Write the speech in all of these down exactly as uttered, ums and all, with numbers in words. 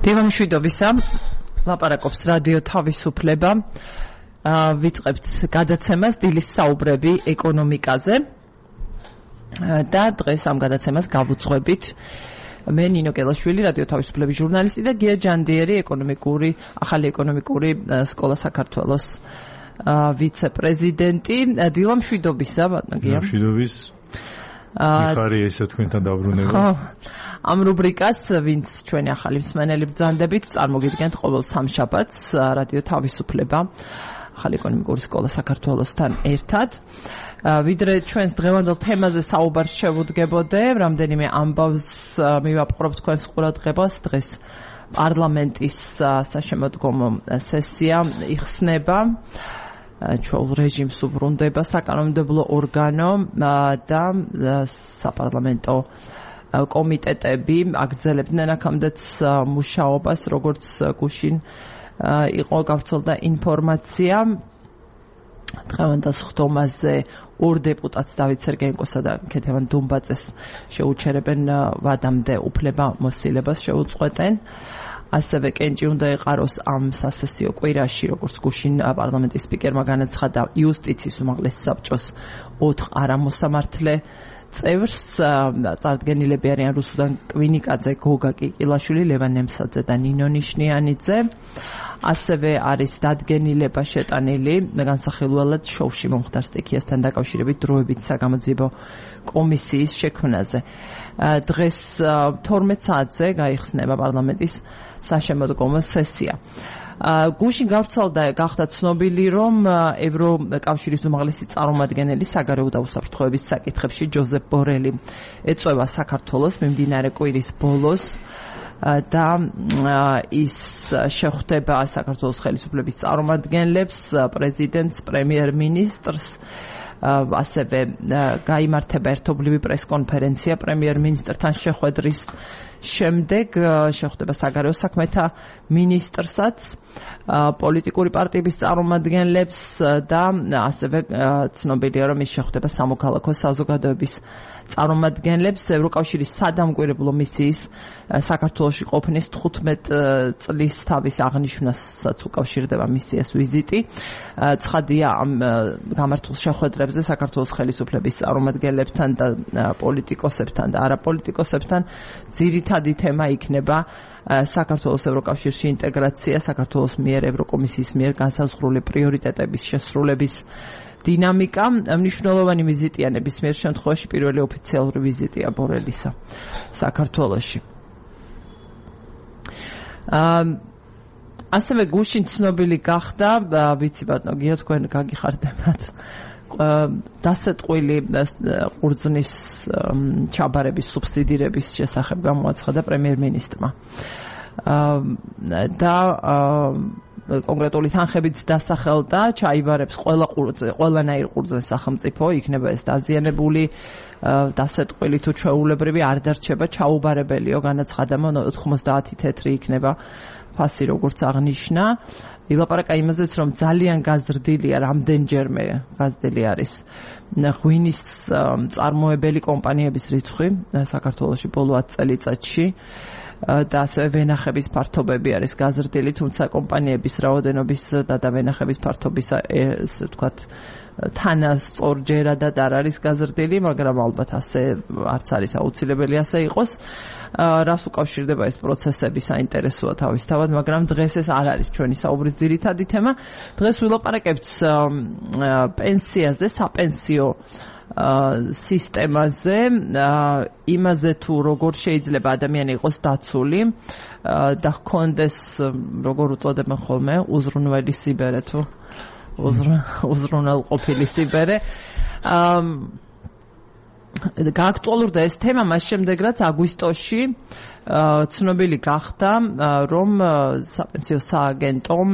დევამშვიდობისა, ლაპარაკობს რადიო თავისუფლება. ვიწყებთ გადაცემას დილის საუბრები ეკონომიკაზე და დღეს ამ გადაცემას გავუძღვებით მე ნინო კელაშვილი, რადიო თავისუფლების ჟურნალისტი და გია ჯანდიერი, ეკონომიკური ახალი ეკონომიკური სკოლა საქართველოს ვიცე-პრეზიდენტი. დილამშვიდობისა, ბატონო გია. დილამშვიდობის. მიხარი ესე თქვენთან დაბრუნება. ამ რუბრიკას, ვინც ჩვენი ახალი მსმენელი ბრძანდებით, წარმოგიდგენთ ყოველ სამშაბათს რადიო თავისუფლება, ახალი ეკონომიკური სკოლა საქართველოსთან ერთად. ვიდრე ჩვენს დღევანდელ თემაზე საუბარს შევუდგებოდე, რამდენიმე ამბავს მივაპყრობ თქვენს ყურადღებას. დღეს პარლამენტის საშემოდგომო სესია იხსნება. ჩვეულ რეჟიმს უბრუნდება საკანონმდებლო ორგანო და საპარლამენტო კომიტეტები აგრძელებდნენ აქამდეც მუშაობას, როგორც გუშინ იყო გავრცელდა ინფორმაცია. დღევანდელ ხდომაზე ორ დეპუტატს დავით სერგეენკოსა და ქეთევან დუმბაძეს შეუჩერებენ ვადამდე უფლება მოსილებას შეუწყვეტენ. ასევე კენჭი უნდა ეყაროს ამ სასესიო კვირაში, როგორც გუშინ პარლამენტის სპიკერმა განაცხადა იუსტიციის უმაღლეს საბჭოს ოთხ არამოსამართლე წევრს. წარდგენილები არიან რუსუდან კვინიკაძე, გოგა კიკილაშვილი, ლევან ნემსაძე და ნინო ნიშნიანიძე. ასევე არის დადგენილება შეტანილი განსახილველად შოუში მომხდარ სტიქიასთან დაკავშირებით დროებით საგამოძიებო კომისიის შექმნაზე. დღეს თორმეტ საათზე გაიხსნება პარლამენტის საშემოდგომო სესია. გუშინ გავრცელდა გახდა ცნობილი, რომ ევროკავშირის უმაღლესი წარმომადგენელი საგარეო და უსაფრთხოების საკითხებში ჯოზეფ ბორელი ეწვევა საქართველოს მიმდინარე კვირის ბოლოს და ის შეხვდება საქართველოს ხელისუფლების წარმომადგენლებს, პრეზიდენტს, პრემიერ-მინისტრს. ასევე გაიმართება ერთობლივი პრესკონფერენცია პრემიერ-მინისტრთან შეხვედრის შემდეგ, შეხვდება საგარეო საქმეთა მინისტრსაც, პოლიტიკური პარტიების წარმომადგენლებს და ასევე ცნობილია, რომ ის შეხვდება სამოქალაქო საზოგადოების წარმომადგენლებს. ევროკავშირის სადამკვირვებლო მისიის საქართველოში ყოფნის თხუთმეტ წლის თავის აღნიშვნასაც უკავშირდება მისიას ვიზიტი. ცხადია, ამ გამართულ შეხვედრებზე საქართველოს ხელისუფლების წარმომადგენლებთან და პოლიტიკოსებთან და არაპოლიტიკოსებთან ძირითადი თემა იქნება საქართველოს ევროკავშირში ინტეგრაცია, საქართველოს მიერ ევროკომისიის მიერ განსაზღვრული პრიორიტეტების შესრულების დინამიკა. მნიშვნელოვანი ვიზიტია ნებისმიერ შემთხვევაში, პირველი ოფიციალური ვიზიტია ბორელისა საქართველოში. ასევე გუშინ ცნობილი გახდა, ვიცი ბატონო გია, თქვენ გაგიხარდებათ, დასეტყვილი ყურძნის ჩაბარების სუბსიდირების შესახებ გამოაცხადა პრემიერ-მინისტრმა და კონკრეტული თანხებით დასახელდა, ჩაიბარებს ყველა ყურძე, ყველანაირ ყურძნის სახელმწიფო, იქნება ეს დაზიანებული დასეტყვილი თუ ჩვეულებრივი, არ დარჩება ჩაუბარებელიო, განაცხადა, ოთხმოცდაათი თეთრი იქნება ფასი, როგორც აღნიშნა. ილაპარაკა იმაზეც, რომ ძალიან გაზრდილია, რამდენჯერმე გაზრდილი არის ღვინის წარმოებელი კომპანიების რიცხვი საქართველოში ბოლო ათ წელიწადში და ასევე ვენახების ფართობები არის გაზრდილი, თუმცა კომპანიების რაოდენობის და ვენახების ფართობის ესე ვთქვათ თანასწორჯერადად არ არის გაზრდილი, მაგრამ ალბათ ასე არც არის აუცილებელი ასე იყოს. რას უკავშირდება ეს პროცესები საინტერესოა თავისთავად, მაგრამ დღეს ეს არ არის ჩვენი საუბრის ძირითადი თემა. დღეს ვილაპარაკებთ პენსიაზე, sapensio სისტემაზე, იმაზე თუ როგორ შეიძლება ადამიანი იყოს დაცული და ჰქონდეს, როგორ უწოდებენ ხოლმე, უზრუნველი სიბერე თუ უზრუნველყოფილი სიბერე. გააქტუალურდა ეს თემა მას შემდეგ, რაც აგვისტოში ცნობილი გახდა, რომ საპენსიო სააგენტომ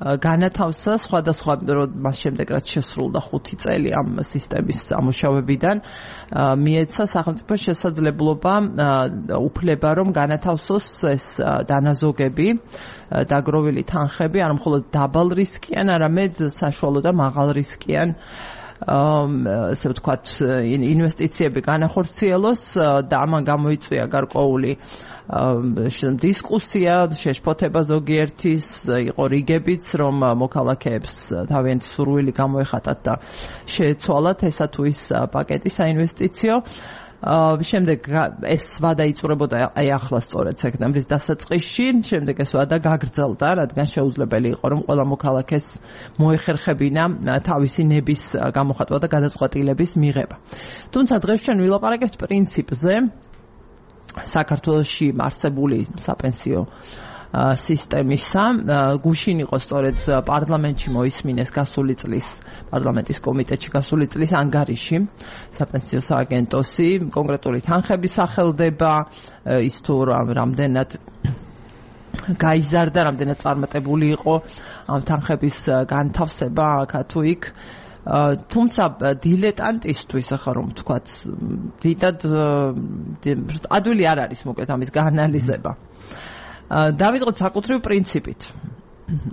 განათავსა სხვადასხვა მას შემდეგ, რაც შესრულდა ხუთი წელი ამ სისტემის ამუშავებიდან, მიეცა სახელმწიფოს შესაძლებლობა, უფლება, რომ განათავსოს ეს დანაზოგები, დაგროვილი თანხები, არა მხოლოდ დაბალ რისკიან, არამედ საშუალო და მაღალ რისკიან ასე ვთქვათ, ინვესტიციები განახორციელოს და ამან გამოიწვია გარკვეული დისკუსია, შეშფოთება ზოგიერთის, იყო რიგებიც, რომ მოქალაქეებს თავიანთი სურვილი გამოეხატათ და შეეცვალათ ესა თუ ის პაკეტი საინვესტიციო. შემდეგ ეს ვადა იწურებოდა აი ახლა სწორედ სექტემბრის დასაწყისში, შემდეგ ეს ვადა გაგრძელდა, რადგან შეუძლებელი იყო, რომ ყველა მოქალაქეს მოეხერხებინა თავისი ნების გამოხატვა და გადაწყვეტილების მიღება. თუმცა დღეს ჩვენ ვილაპარაკებთ პრინციპზე, საქართველოში არსებული საპენსიო სისტემისა, გუშინ იყო სწორედ პარლამენტში მოისმინეს გასული წლის პარლამენტის კომიტეტში გასული წლის ანგარიში საპენსიო სააგენტოსი, კონკრეტული თანხების სახელდება, ის თუ რამდენად გაიზარდა, რამდენად წარმატებული იყო ამ თანხების განთავსება აქ თუ იქ. თუმცა დილეტანტისთვის ახლა რომ ვთქვათ, დიდად ადვილი არ არის მოკლედ ამის გაანალიზება. დავიწყოთ საკუთრივ პრინციპით.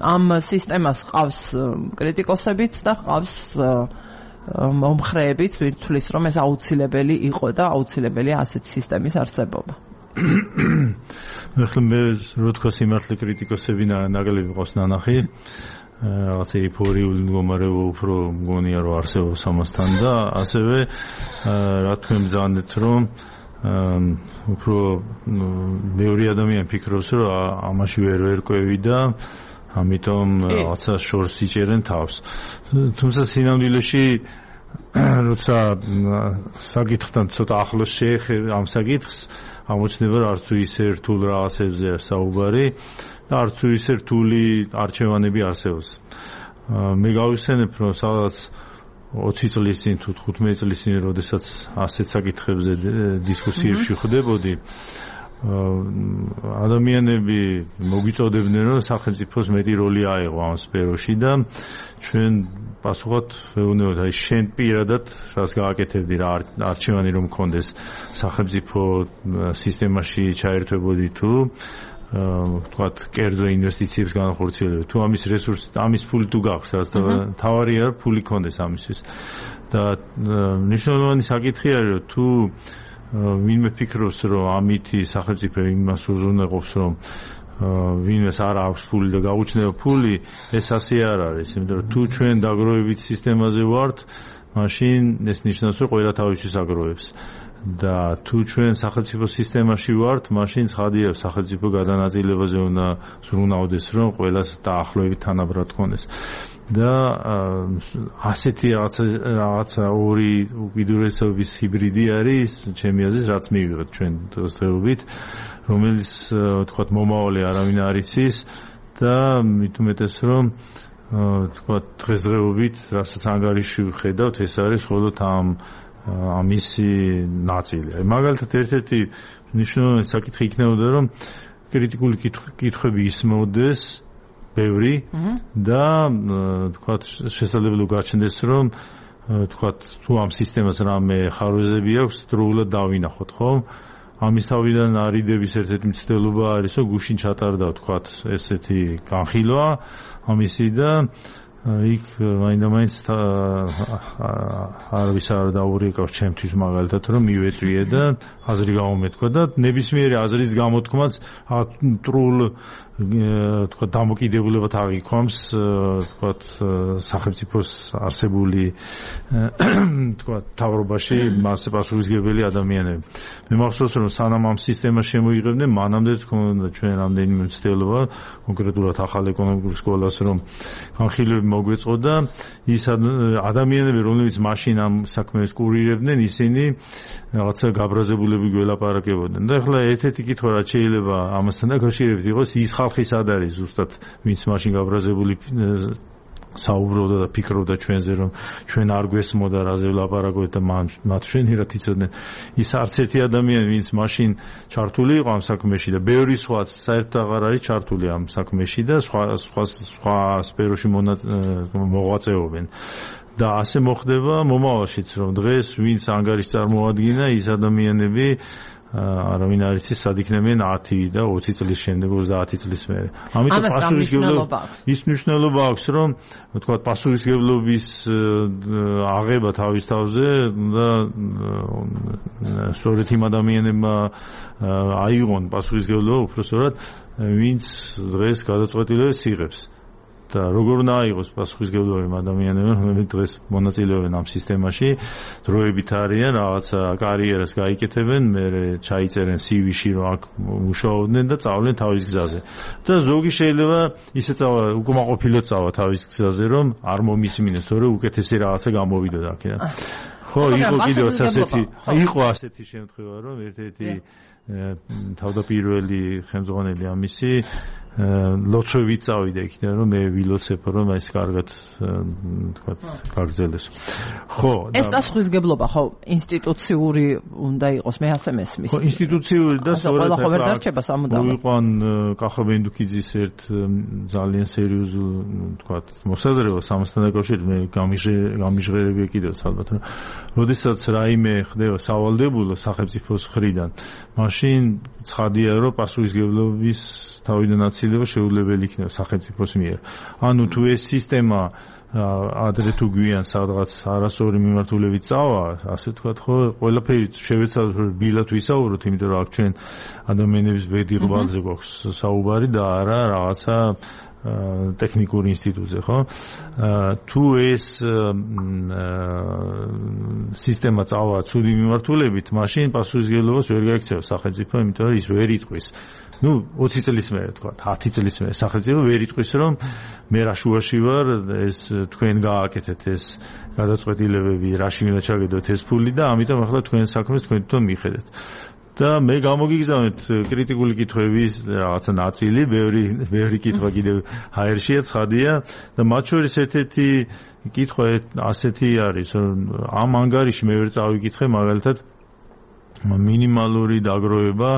ამ სისტემას ყავს კრიტიკოსებიც და ყავს მომხრეებიც, ვინც თვლის, რომ ეს აუცილებელი იყო და აუცილებელია ასეთი სისტემის არსებობა. ახლა მე რო თქვა სიმართლე კრიტიკოსები ნაგლები ყავს ნანახი. რაღაც ეიფორიული მდგომარეობა უფრო მგონია რომ არსებობს ამასთან და ასევე რა თქმა მზადეთ რომ უფრო მეორე ადამიანი ფიქრობს რომ ამაში ვერ ვერკვევი და ამიტომ რაღაცა შორს იჭერენ თავს. თუმცა სინამდვილეში როცა საკითხთან ცოტა ახლოს შეეხება ამ საკითხს, ამოჩნდება რომ არც თუ ისე რთულ რაღაცებზე საუბარი და არც თუ ისე რთული არჩევანები არსებობს. მე გავიხსენებ რომ სადაც ოცი წლის წინ თუ თხუთმეტი წლის წინ როდესაც ასეთ საკითხებზე დისკუსიებში ხვდებოდი, ადამიანები მოგვიწოდებდნენ რომ სახელმწიფოს მეტი როლი აიღო ამ სფეროში და ჩვენ პასუხად ვეუბნებოდ, აი შენ პირადად რას გააკეთებდი, რა არჩევანი რომ მქონდეს სახელმწიფო სისტემაში ჩაერთვებოდი თუ ვთქვათ, კერძო ინვესტიციებს განახორციელებდი. თუ ამის რესურსი, ამის ფული თუ გაქვს, რაც თავარია რომ ფული კონდეს ამისთვის. და მნიშვნელოვანი საკითხი არის, რომ თუ ვინმე ფიქრობს, რომ ამითი სახელმწიფო იმას უზრუნველყოფს, რომ ვინმეს არ აქვს ფული და გაუჩნდება ფული, ეს ასე არ არის. იმიტომ რომ თუ ჩვენ დაგროვებით სისტემაზე ვართ, მაშინ ეს ნიშნავს, რომ ყველა თავისთვის აგროვებს. და თუ ჩვენ სახელმწიფო სისტემაში ვართ, მაშინ ცხადია სახელმწიფო გადანაწილებაზე უნდა ზრუნავდეს, რომ ყველას დაახლოებით თანაბრად ქონდეს. და ასეთი რაღაცა რაღაცა ორი უკიდურესობის ჰიბრიდი არის, ჩემი აზრით, რაც მივიღეთ ჩვენ დღესდღეობით, რომელიც ვთქვათ მომავალი არავინ არ იცის და მით უმეტეს რომ ვთქვათ დღესდღეობით, რასაც ანგარიში ვხედავთ, ეს არის მხოლოდ ამ ამისი ნაწილი. მაგალითად ერთ-ერთი მნიშვნელოვანი საკითხი იქნებოდა, რომ კრიტიკული კითხვები ისმოდეს ბევრი და თქვათ შესაძლებელი გაჩნდეს, რომ თქვათ თუ ამ სისტემას რამე ხარვეზები აქვს, დროულად დავინახოთ, ხო? ამის თავიდან არიდების ერთ-ერთი მცდელობა არის, რომ გუშინ ჩატარდა თქვათ ესეთი განხილვა ამისი და იქ მაინდა-მაინც არავის არ დაურეკავს ჩემთვის მაგალითად რომ მივეწვიე და აზრი გამომეთქვა და ნებისმიერი აზრის გამოთქმაც ტრულ თქვა დამოკიდებულებად აღიქვამს თქვა სახელმწიფოს არსებული თქვა თავრობაში მასე პასუხისმგებელი ადამიანები. მე მახსოვს რომ სანამ ამ სისტემას შემოიღებდნენ, მანამდეც ქონდა ჩვენ რამდენიმე მცდელობა კონკრეტულად ახალ ეკონომიკურ სკოლას რომ განხილვები მოგვეწყოდა, ის ადამიანები რომლებიც მაშინ ამ საქმეს კურირებდნენ, ისინი რაღაცა გაბრაზებულები გველაპარაკებოდნენ. და ახლა ერთ-ერთი კითხვა რაც შეიძლება ამასთან დაკავშირებით იყოს, ის ხალხი სად არის ზუსტად, ვინც მაშინ გაბრაზებული საუბრობდა და ფიქრობდა ჩვენზე, რომ ჩვენ არ გვესმოდა რაზე ვლაპარაკობთ და მათ შენიერად იცოდნენ. ის არც ერთი ადამიანი, ვინც მაშინ ჩართული იყო ამ საქმეში და ბევრი სხვაც საერთოდ აღარ არის ჩართული ამ საქმეში და სხვა სხვა სხვა სფეროში მოღვაწეობენ. და ასე მოხდება მომავალშიც, რომ დღეს ვინც ანგარიშს წარმოადგენდა, ის ადამიანები არავინ არ იცის სად იქნებიან ათი და ოცი წლის შემდეგ ოცდაათი წლის მერე. ამიტომ პასუხისმგებლობა ის მნიშვნელობა აქვს, რომ თქვა პასუხისმგებლობის აღება თავის თავზე და სწორედ იმ ადამიანებმა აიღონ პასუხისმგებლობა უბრალოდ ვინც დღეს გადაწყვეტილებას იღებს. და როგორ უნდა აიღოს პასუხისმგებლობა იმ ადამიანებმა, რომლებიც დღეს მონაწილეობენ ამ სისტემაში, დროებით არიან, რაღაცა კარიერას გაიკეთებენ, მერე ჩაიწერენ სი ვი-ში, რომ აქ მუშაობდნენ და წავლენ თავის გზაზე. და ზოგი შეიძლება ისე წავა, უკმაყოფილო წავა თავის გზაზე, რომ არ მომისმინეს, თორე უკეთესი რაღაცა გამოვიდოდა აქედან. ხო, იყო კიდევ ასეთი, იყო ასეთი შემთხვევა, რომ ერთ-ერთი თავდაპირველი ხელმძღვანელი ამისი ლოცვებით წავიდა იქიდან, რომ მე ვილოცებ, რომ ეს კარგად თქვა გაგრძელდეს. ხო, ეს პასუხისმგებლობა ხო ინსტიტუციური უნდა იყოს, მე ასე მესმის. ხო, ინსტიტუციური და სწორედ ხო ვერ დარჩება სამუდამოდ. მოიყვან კახა ბენდუკიძის ერთ ძალიან სერიოზულ თქვა მოსაზრებას ამასთან დაკავშირებით, მე გამიჟღერებია კიდევაც ალბათ, რომ როდესაც რაიმე ხდება სავალდებულო სახელმწიფოს მხრიდან, მაშინ ცხადია, რომ პასუხისმგებლობის თავიდან აცილება შეუძლებელი იქნება სახელმწიფოს მიერ. ანუ თუ ეს სისტემა ადრე თუ გვიან სადღაც არასწორი მიმართულებით წავა, ასე ვთქვათ, ხო, ყველაფერი შევეცადოთ რომ ბილად ვისაუბროთ, იმიტომ რომ აქ ჩვენ ადამიანების ბედი ყბალზე გვაქვს საუბარი და არა რაღაცა ტექნიკურ ინსტიტუტზე, ხო? თუ ეს სისტემა წავა ცუდი მიმართულებით, მაშინ პასუხისმგებლობას ვერ გაიქცევა სახელმწიფო, იმიტომ რომ ის ვერ იტყვის. ну ოცი წლის მერე თქვა, ათი წლის მერე სახელმწიფო ვერ იტყვის, რომ მე რა შუაში ვარ, ეს თქვენ გააკეთეთ ეს გადაწყვეტილებები, რაში უნდა ჩაგედოთ ეს ფული და ამიტომ ახლა თქვენ საქმეს თქვენ თვითონ მიხედეთ. და მე გამოგიგზავნეთ კრიტიკული კითხვების რაღაცა ნაწილი, ბევრი ბევრი კითხვა კიდევ ჰაერშია, ცხადია და მათ შორის ერთ-ერთი კითხვა ასეთი არის, რომ ამ ანგარიში მე ვერ წავიკითხე მაგალითად მინიმალური დაგროვება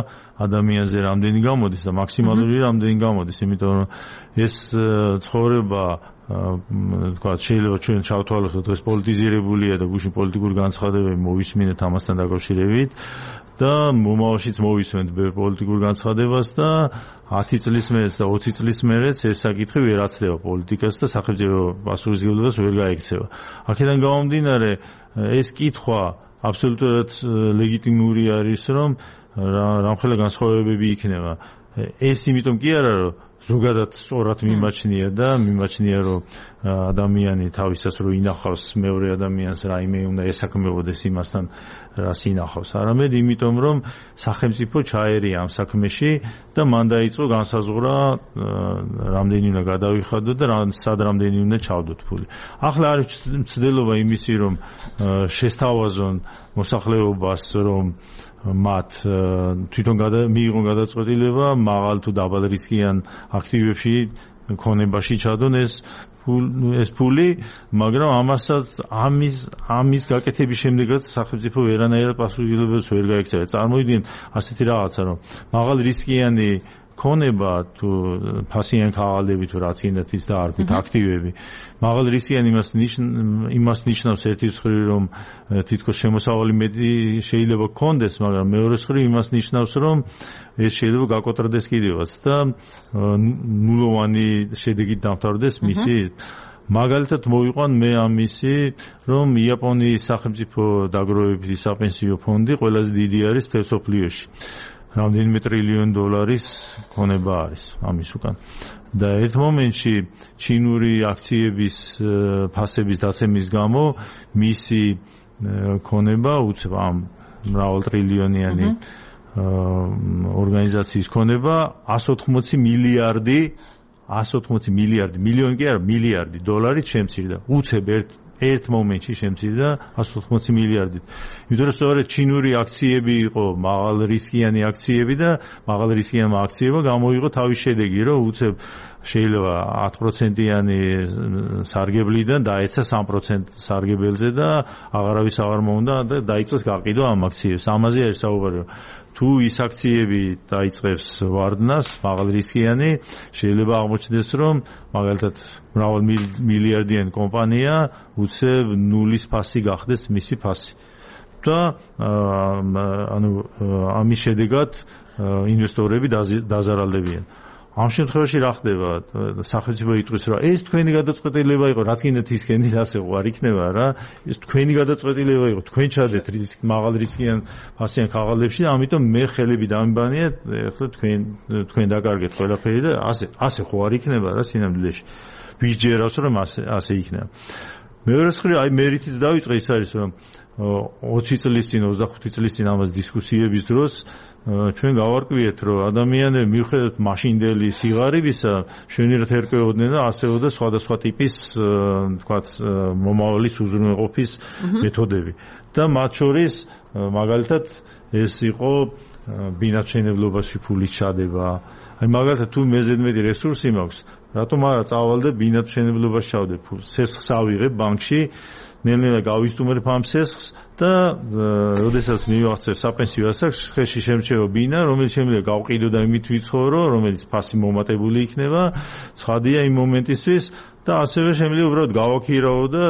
ადამიანზე რამდენი გამოდის და მაქსიმალური რამდენი გამოდის, იმიტომ რომ ეს ცხოვრება თქვა შეიძლება ჩვენ ჩავთვალოთ, ეს პოლიტიზირებულია და გუშინ პოლიტიკური განცხადებები მოვისმინეთ ამასთან დაკავშირებით და მომავალშიც მოვისმენთ პოლიტიკურ განცხადებას და ათი წლის მერეც და ოცი წლის მერეც ეს საკითხი ვერ აცლება პოლიტიკას და სახელმწიფო პასუხისმგებლობას ვერ გაექცევა. აქედან გამომდინარე ეს კითხვა აბსოლუტურად ლეგიტიმური არის, რომ რამხელა განსხვავებები იქნება. ეს იმიტომ კი არა, რომ ზოგადად სწორად მიმაჩნია და მიმაჩნია, რომ ადამიანი თავისას რო ინახავს მეორე ადამიანს, რაიმე უნდა ესაქმებოდეს იმასთან, რას ინახავს. არამედ იმიტომ, რომ სახელმწიფო ჩაერია ამ საქმეში და მან დაიწყო განსაზღვრა რამდენი უნდა გადავიხადოთ და სად რამდენი უნდა ჩავდოთ ფული. ახლა არის მცდელობა იმისი, რომ შესთავაზონ მოსახლეობას, რომ მათ თვითონ მიიღონ გადაწყვეტილება მაღალ თუ დაბალ რისკიან აქტივებში ქონებაში ჩადონ ეს ეს ფული, მაგრამ ამასაც ამის ამის გაკეთების შემდეგაც სახელმწიფო ვერანაირად პასუხისმგებლობას ვერ გაექცევა. წარმოვიდგინეთ ასეთი რაღაცა, რომ მაღალ რისკიანი ქონება თუ ფასიანი ქაღალდები თუ რაც ინდათ ის და არ ქვით აქტივები. მაღალ რისკიანი იმას იმას ნიშნავს ერთი მხრივ, რომ თითქოს შემოსავალი მეტი შეიძლება გქონდეს, მაგრამ მეორე მხრივ იმას ნიშნავს, რომ ეს შეიძლება გაკოტრდეს კიდევაც და ნულოვანი შედეგით დამთავრდეს მისი. მაგალითად მოვიყვან მე ამისი, რომ იაპონიის სახელმწიფო დაგროვებითი საპენსიო ფონდი ყველაზე დიდი არის მთელ მსოფლიოში. რამდენიმე ტრილიონი დოლარის ქონება არის ამის უკან. და ერთ მომენტში ჩინური აქციების ფასების დაცემის გამო მისი ქონება უცებ ამ მრავალტრილიონიანი ორგანიზაციის ქონება εκατს ოთხმოცი მილიარდი εκατს ოთხმოცი მილიარდი მილიონი კი არა მილიარდი დოლარი შემცირდა. უცებ ერთ ერთ მომენტში შემცირდა εκατს ოთხმოცი მილიარდით. იმიტომ რომ სწორედ ჩინური აქციები იყო მაღალ რისკიანი აქციები და მაღალ რისკიანმა აქციებმა გამოიღო თავის შედეგი, რომ უცებ შეიძლება ათი პროცენტიანი სარგებლიდან დაეცა სამი პროცენტი სარგებელზე და აღარავის აღარ მოუნდა და დაიწყეს გაყიდვა ამ აქციებს. ამაზე არის საუბარი. თუ ის აქციები დაიწყებს ვარდნას, მაღალ რისკიანი, შეიძლება აღმოჩნდეს, რომ მაგალითად მრავალ მილიარდიანი კომპანია უცებ ნულის ფასი გახდეს მისი ფასი. და ანუ ამის შედეგად ინვესტორები დაზარალდებიან. ამ შემთხვევაში რა ხდება? სახელმწიფო იტყვის, რომ ეს თქვენი გადაწყვეტილება იყო, რაც კიდე თისკენით ასე არ იქნება რა. ეს თქვენი გადაწყვეტილება იყო, თქვენ ჩადეთ რისკ მაღალ რისკიან ფასიან ქაღალდებში, ამიტომ მე ხელები დამიბანიეთ, ახლა თქვენ თქვენ დაკარგეთ ყველაფერი და ასე ასე ხო არ იქნება რა სინამდვილეში. ვის ჯერავს რომ ასე ასე იქნება. მეორე მხრივ აი მერიტიც დავიწყე ის არის რომ ოცი წლის წინ ოცდახუთი წლის წინ ამას დისკუსიების დროს ჩვენ გავარკვიეთ რომ ადამიანები მიუხედავად მაშინდელი სიღარიბისა შვენიერად ერკვეოდნენ და ასევე და სხვადასხვა ტიპის თქვათ მომავლის უზრუნველყოფის მეთოდები და მათ შორის მაგალითად ეს იყო ბინადმშენებლობაში ფულის ჩადება აი მაგალითად თუ მეზედმეტი რესურსი მაქვს რატომ არა წავალდე ბინადმშენებლობაში ჩავდე ფულს სესხს ავიღებ ბანკში ნელ-ნელა გავისტუმრებ ამ სესხს და როდესაც მივახცევ საპენსიო ასაკს ხელში შემჩევა ბინა რომელიც შემიძლია გავყიდო და იმით ვიცხოვრო რომელიც ფასი მომატებული იქნება ცხადია იმ მომენტისთვის და ასევე შემიძლია უბრალოდ გავაქირავო და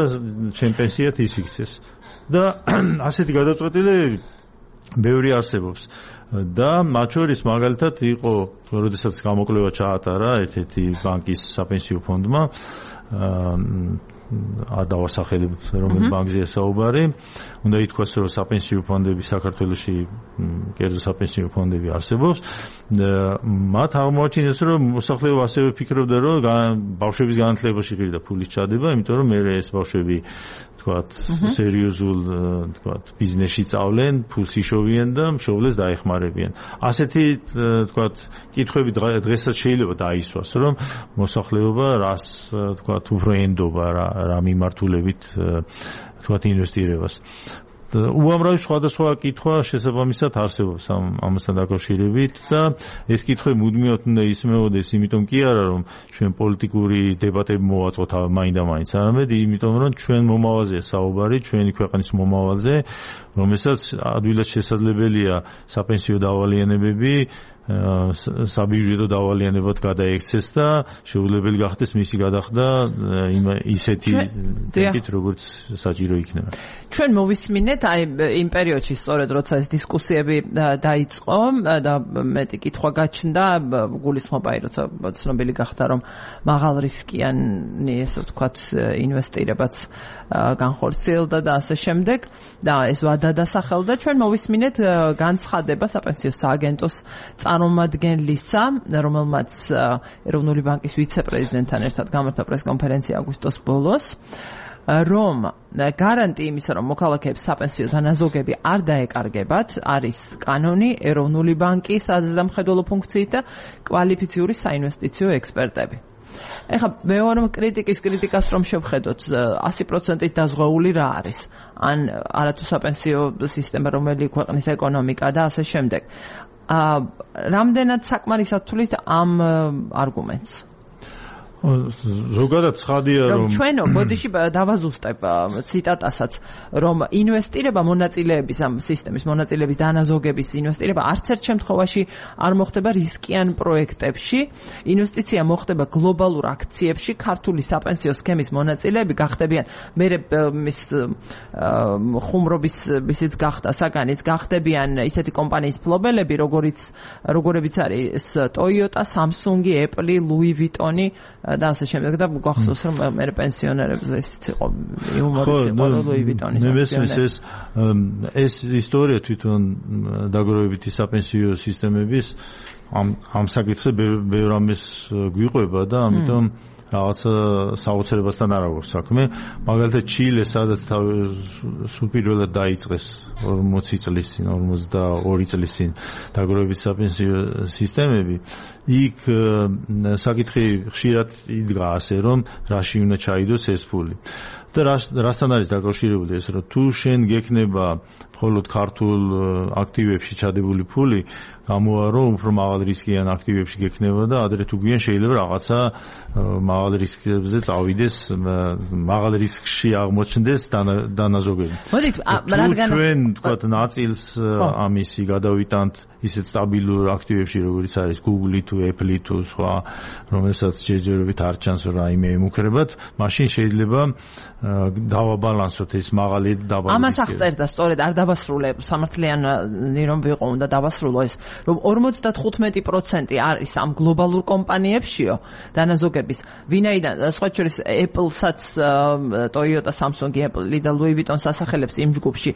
ჩემ პენსიად ის იქცეს და ასეთი გადაწყვეტილებები ბევრი არსებობს და მათ შორის მაგალითად იყო როდესაც გამოკვლევა ჩაატარა ერთ-ერთი ბანკის საპენსიო ფონდმა არ დავასახელებ რომელ ბანკზეა საუბარი უნდა ითქვას რომ საპენსიო ფონდები საქართველოში კერძო საპენსიო ფონდები არსებობს მათ აღმოაჩინეს რომ მოსახლეობა ასევე ფიქრობდა რომ ბავშვების განათლებაში ღირდა ფულის ჩადება იმიტომ რომ მე ეს ბავშვები თქვათ სერიოზულ თქვათ ბიზნესში წავლენ ფულს იშოვიან და მშობლებს დაეხმარებიან ასეთი თქვათ კითხვები დღესაც შეიძლება დაისვას რომ მოსახლეობა რას თქვათ უფრო ენდობა რა რა მიმართულებით თქვათ ინვესტირებას უამრავი სხვადასხვა კითხვა შესაბამისად არსებობს ამასთან დაკავშირებით და ეს კითხვები მუდმივად უნდა ისმეოდეს იმიტომ კი არა რომ ჩვენ პოლიტიკური დებატები მოვაწყოთ მაინდა-მაინც არამედ იმიტომ რომ ჩვენ მომავალზეა საუბარი ჩვენი ქვეყნის მომავალზე რომელსაც ადვილად შესაძლებელია საპენსიო დავალიანებები საბიუჯეტო დავალიანებად გადაექცეს და შეუძლებელი გახდეს მისი გადახდა ისეთი ტემპით როგორც საჭირო იქნება. ჩვენ მოვისმინეთ აი იმ პერიოდში სწორედ როცა ეს დისკუსიები დაიწყო და მეტი კითხვა გაჩნდა გულისხმობა აი როცა ცნობილი გახდა რომ მაღალ რისკიანი ესე ვთქვათ ინვესტირებაც განხორციელდა და ასე შემდეგ და ეს ვადა დასახელდა ჩვენ მოვისმინეთ განცხადება საპენსიო სააგენტოს წარმომადგენლისა რომელმაც ეროვნული ბანკის ვიცე-პრეზიდენტთან ერთად გამართა პრესკონფერენცია აგვისტოს ბოლოს რომ გარანტი იმისა რომ მოქალაქეებს საპენსიო დანაზოგები არ დაეკარგებათ არის კანონი ეროვნული ბანკის საზამხედველო ფუნქციით და კვალიფიციური საინვესტიციო ექსპერტები ეხლა მეორე კრიტიკის კრიტიკას რომ შევხედოთ ასი პროცენტით დაზღვეული რა არის ან არათუ საპენსიო სისტემა რომელი ქვეყნის ეკონომიკა და ასე შემდეგ რამდენად საკმარისად თulis ამ არგუმენტს ზოგადად ცხადია რომ ჩვენო ბოდიში დავაზუსტებ ციტატასაც რომ ინვესტირება მონაწილეების ამ სისტემის მონაწილეების დანაზოგების ინვესტირება არც ერთ შემთხვევაში არ მოხდება რისკიან პროექტებში ინვესტიცია მოხდება გლობალურ აქციებში ქართული საპენსიო სქემის მონაწილეები გახდებიან მე მის ხუმრობის ისიც გახდა საგანიც გახდებიან ისეთი კომპანიის ფლობელები როგორიც როგორებიც არის Toyota, Samsung, Apple, Louis Vuitton და ასე შემდეგ და გახსოვს რომ მე პენსიონერებზე ისიც იყო იუმორიც იყო Louis Vuitton-ის ეს ეს ისტორია თვითონ დაგროვებითი საპენსიო სისტემების ამ ამ საკითხზე ბევრ ამის გვიყვება და ამიტომ რაღაცა საოცრებასთან არ აქვს საქმე. მაგალითად ჩილე, სადაც სულ პირველად დაიწყეს ორმოცი წლის წინ, ორმოცდაორი წლის წინ დაგროვების საპენსიო სისტემები, იქ საკითხი ხშირად იდგა ასე, რომ რაში უნდა ჩაიდოს ეს ფული. და რასთან არის დაკავშირებული ეს, რომ თუ შენ გექნება მხოლოდ ქართულ აქტივებში ჩადებული ფული, გამოვა რომ უფრო მაღალ რისკიან აქტივებში გექნება და ადრე თუ გვიან შეიძლება რაღაცა მაღალ რისკებზე წავიდეს, მაღალ რისკში აღმოჩნდეს დანაზოგები. მოდით, რადგან ჩვენ თქვათ ნაწილს ამისი გადავიტანთ ისეთ სტაბილურ აქტივებში, როგორც არის Google-ი თუ Apple-ი თუ სხვა, რომელსაც ჯერჯერობით არ ჩანს რომ რაიმე ემუქრებათ, მაშინ შეიძლება დავაბალანსოთ ეს მაღალი დაბალი. ამას აღწერდა სწორედ არ დავასრულე სამართლიანი რომ ვიყო უნდა დავასრულო ეს რომ ორმოცდათხუთმეტი პროცენტი არის ამ გლობალურ კომპანიებშიო დანაზოგების ვინაიდან სხვა შორის Apple-საც Toyota, Samsung-ი, Apple-ი და Louis Vuitton სასახელებს იმ ჯგუფში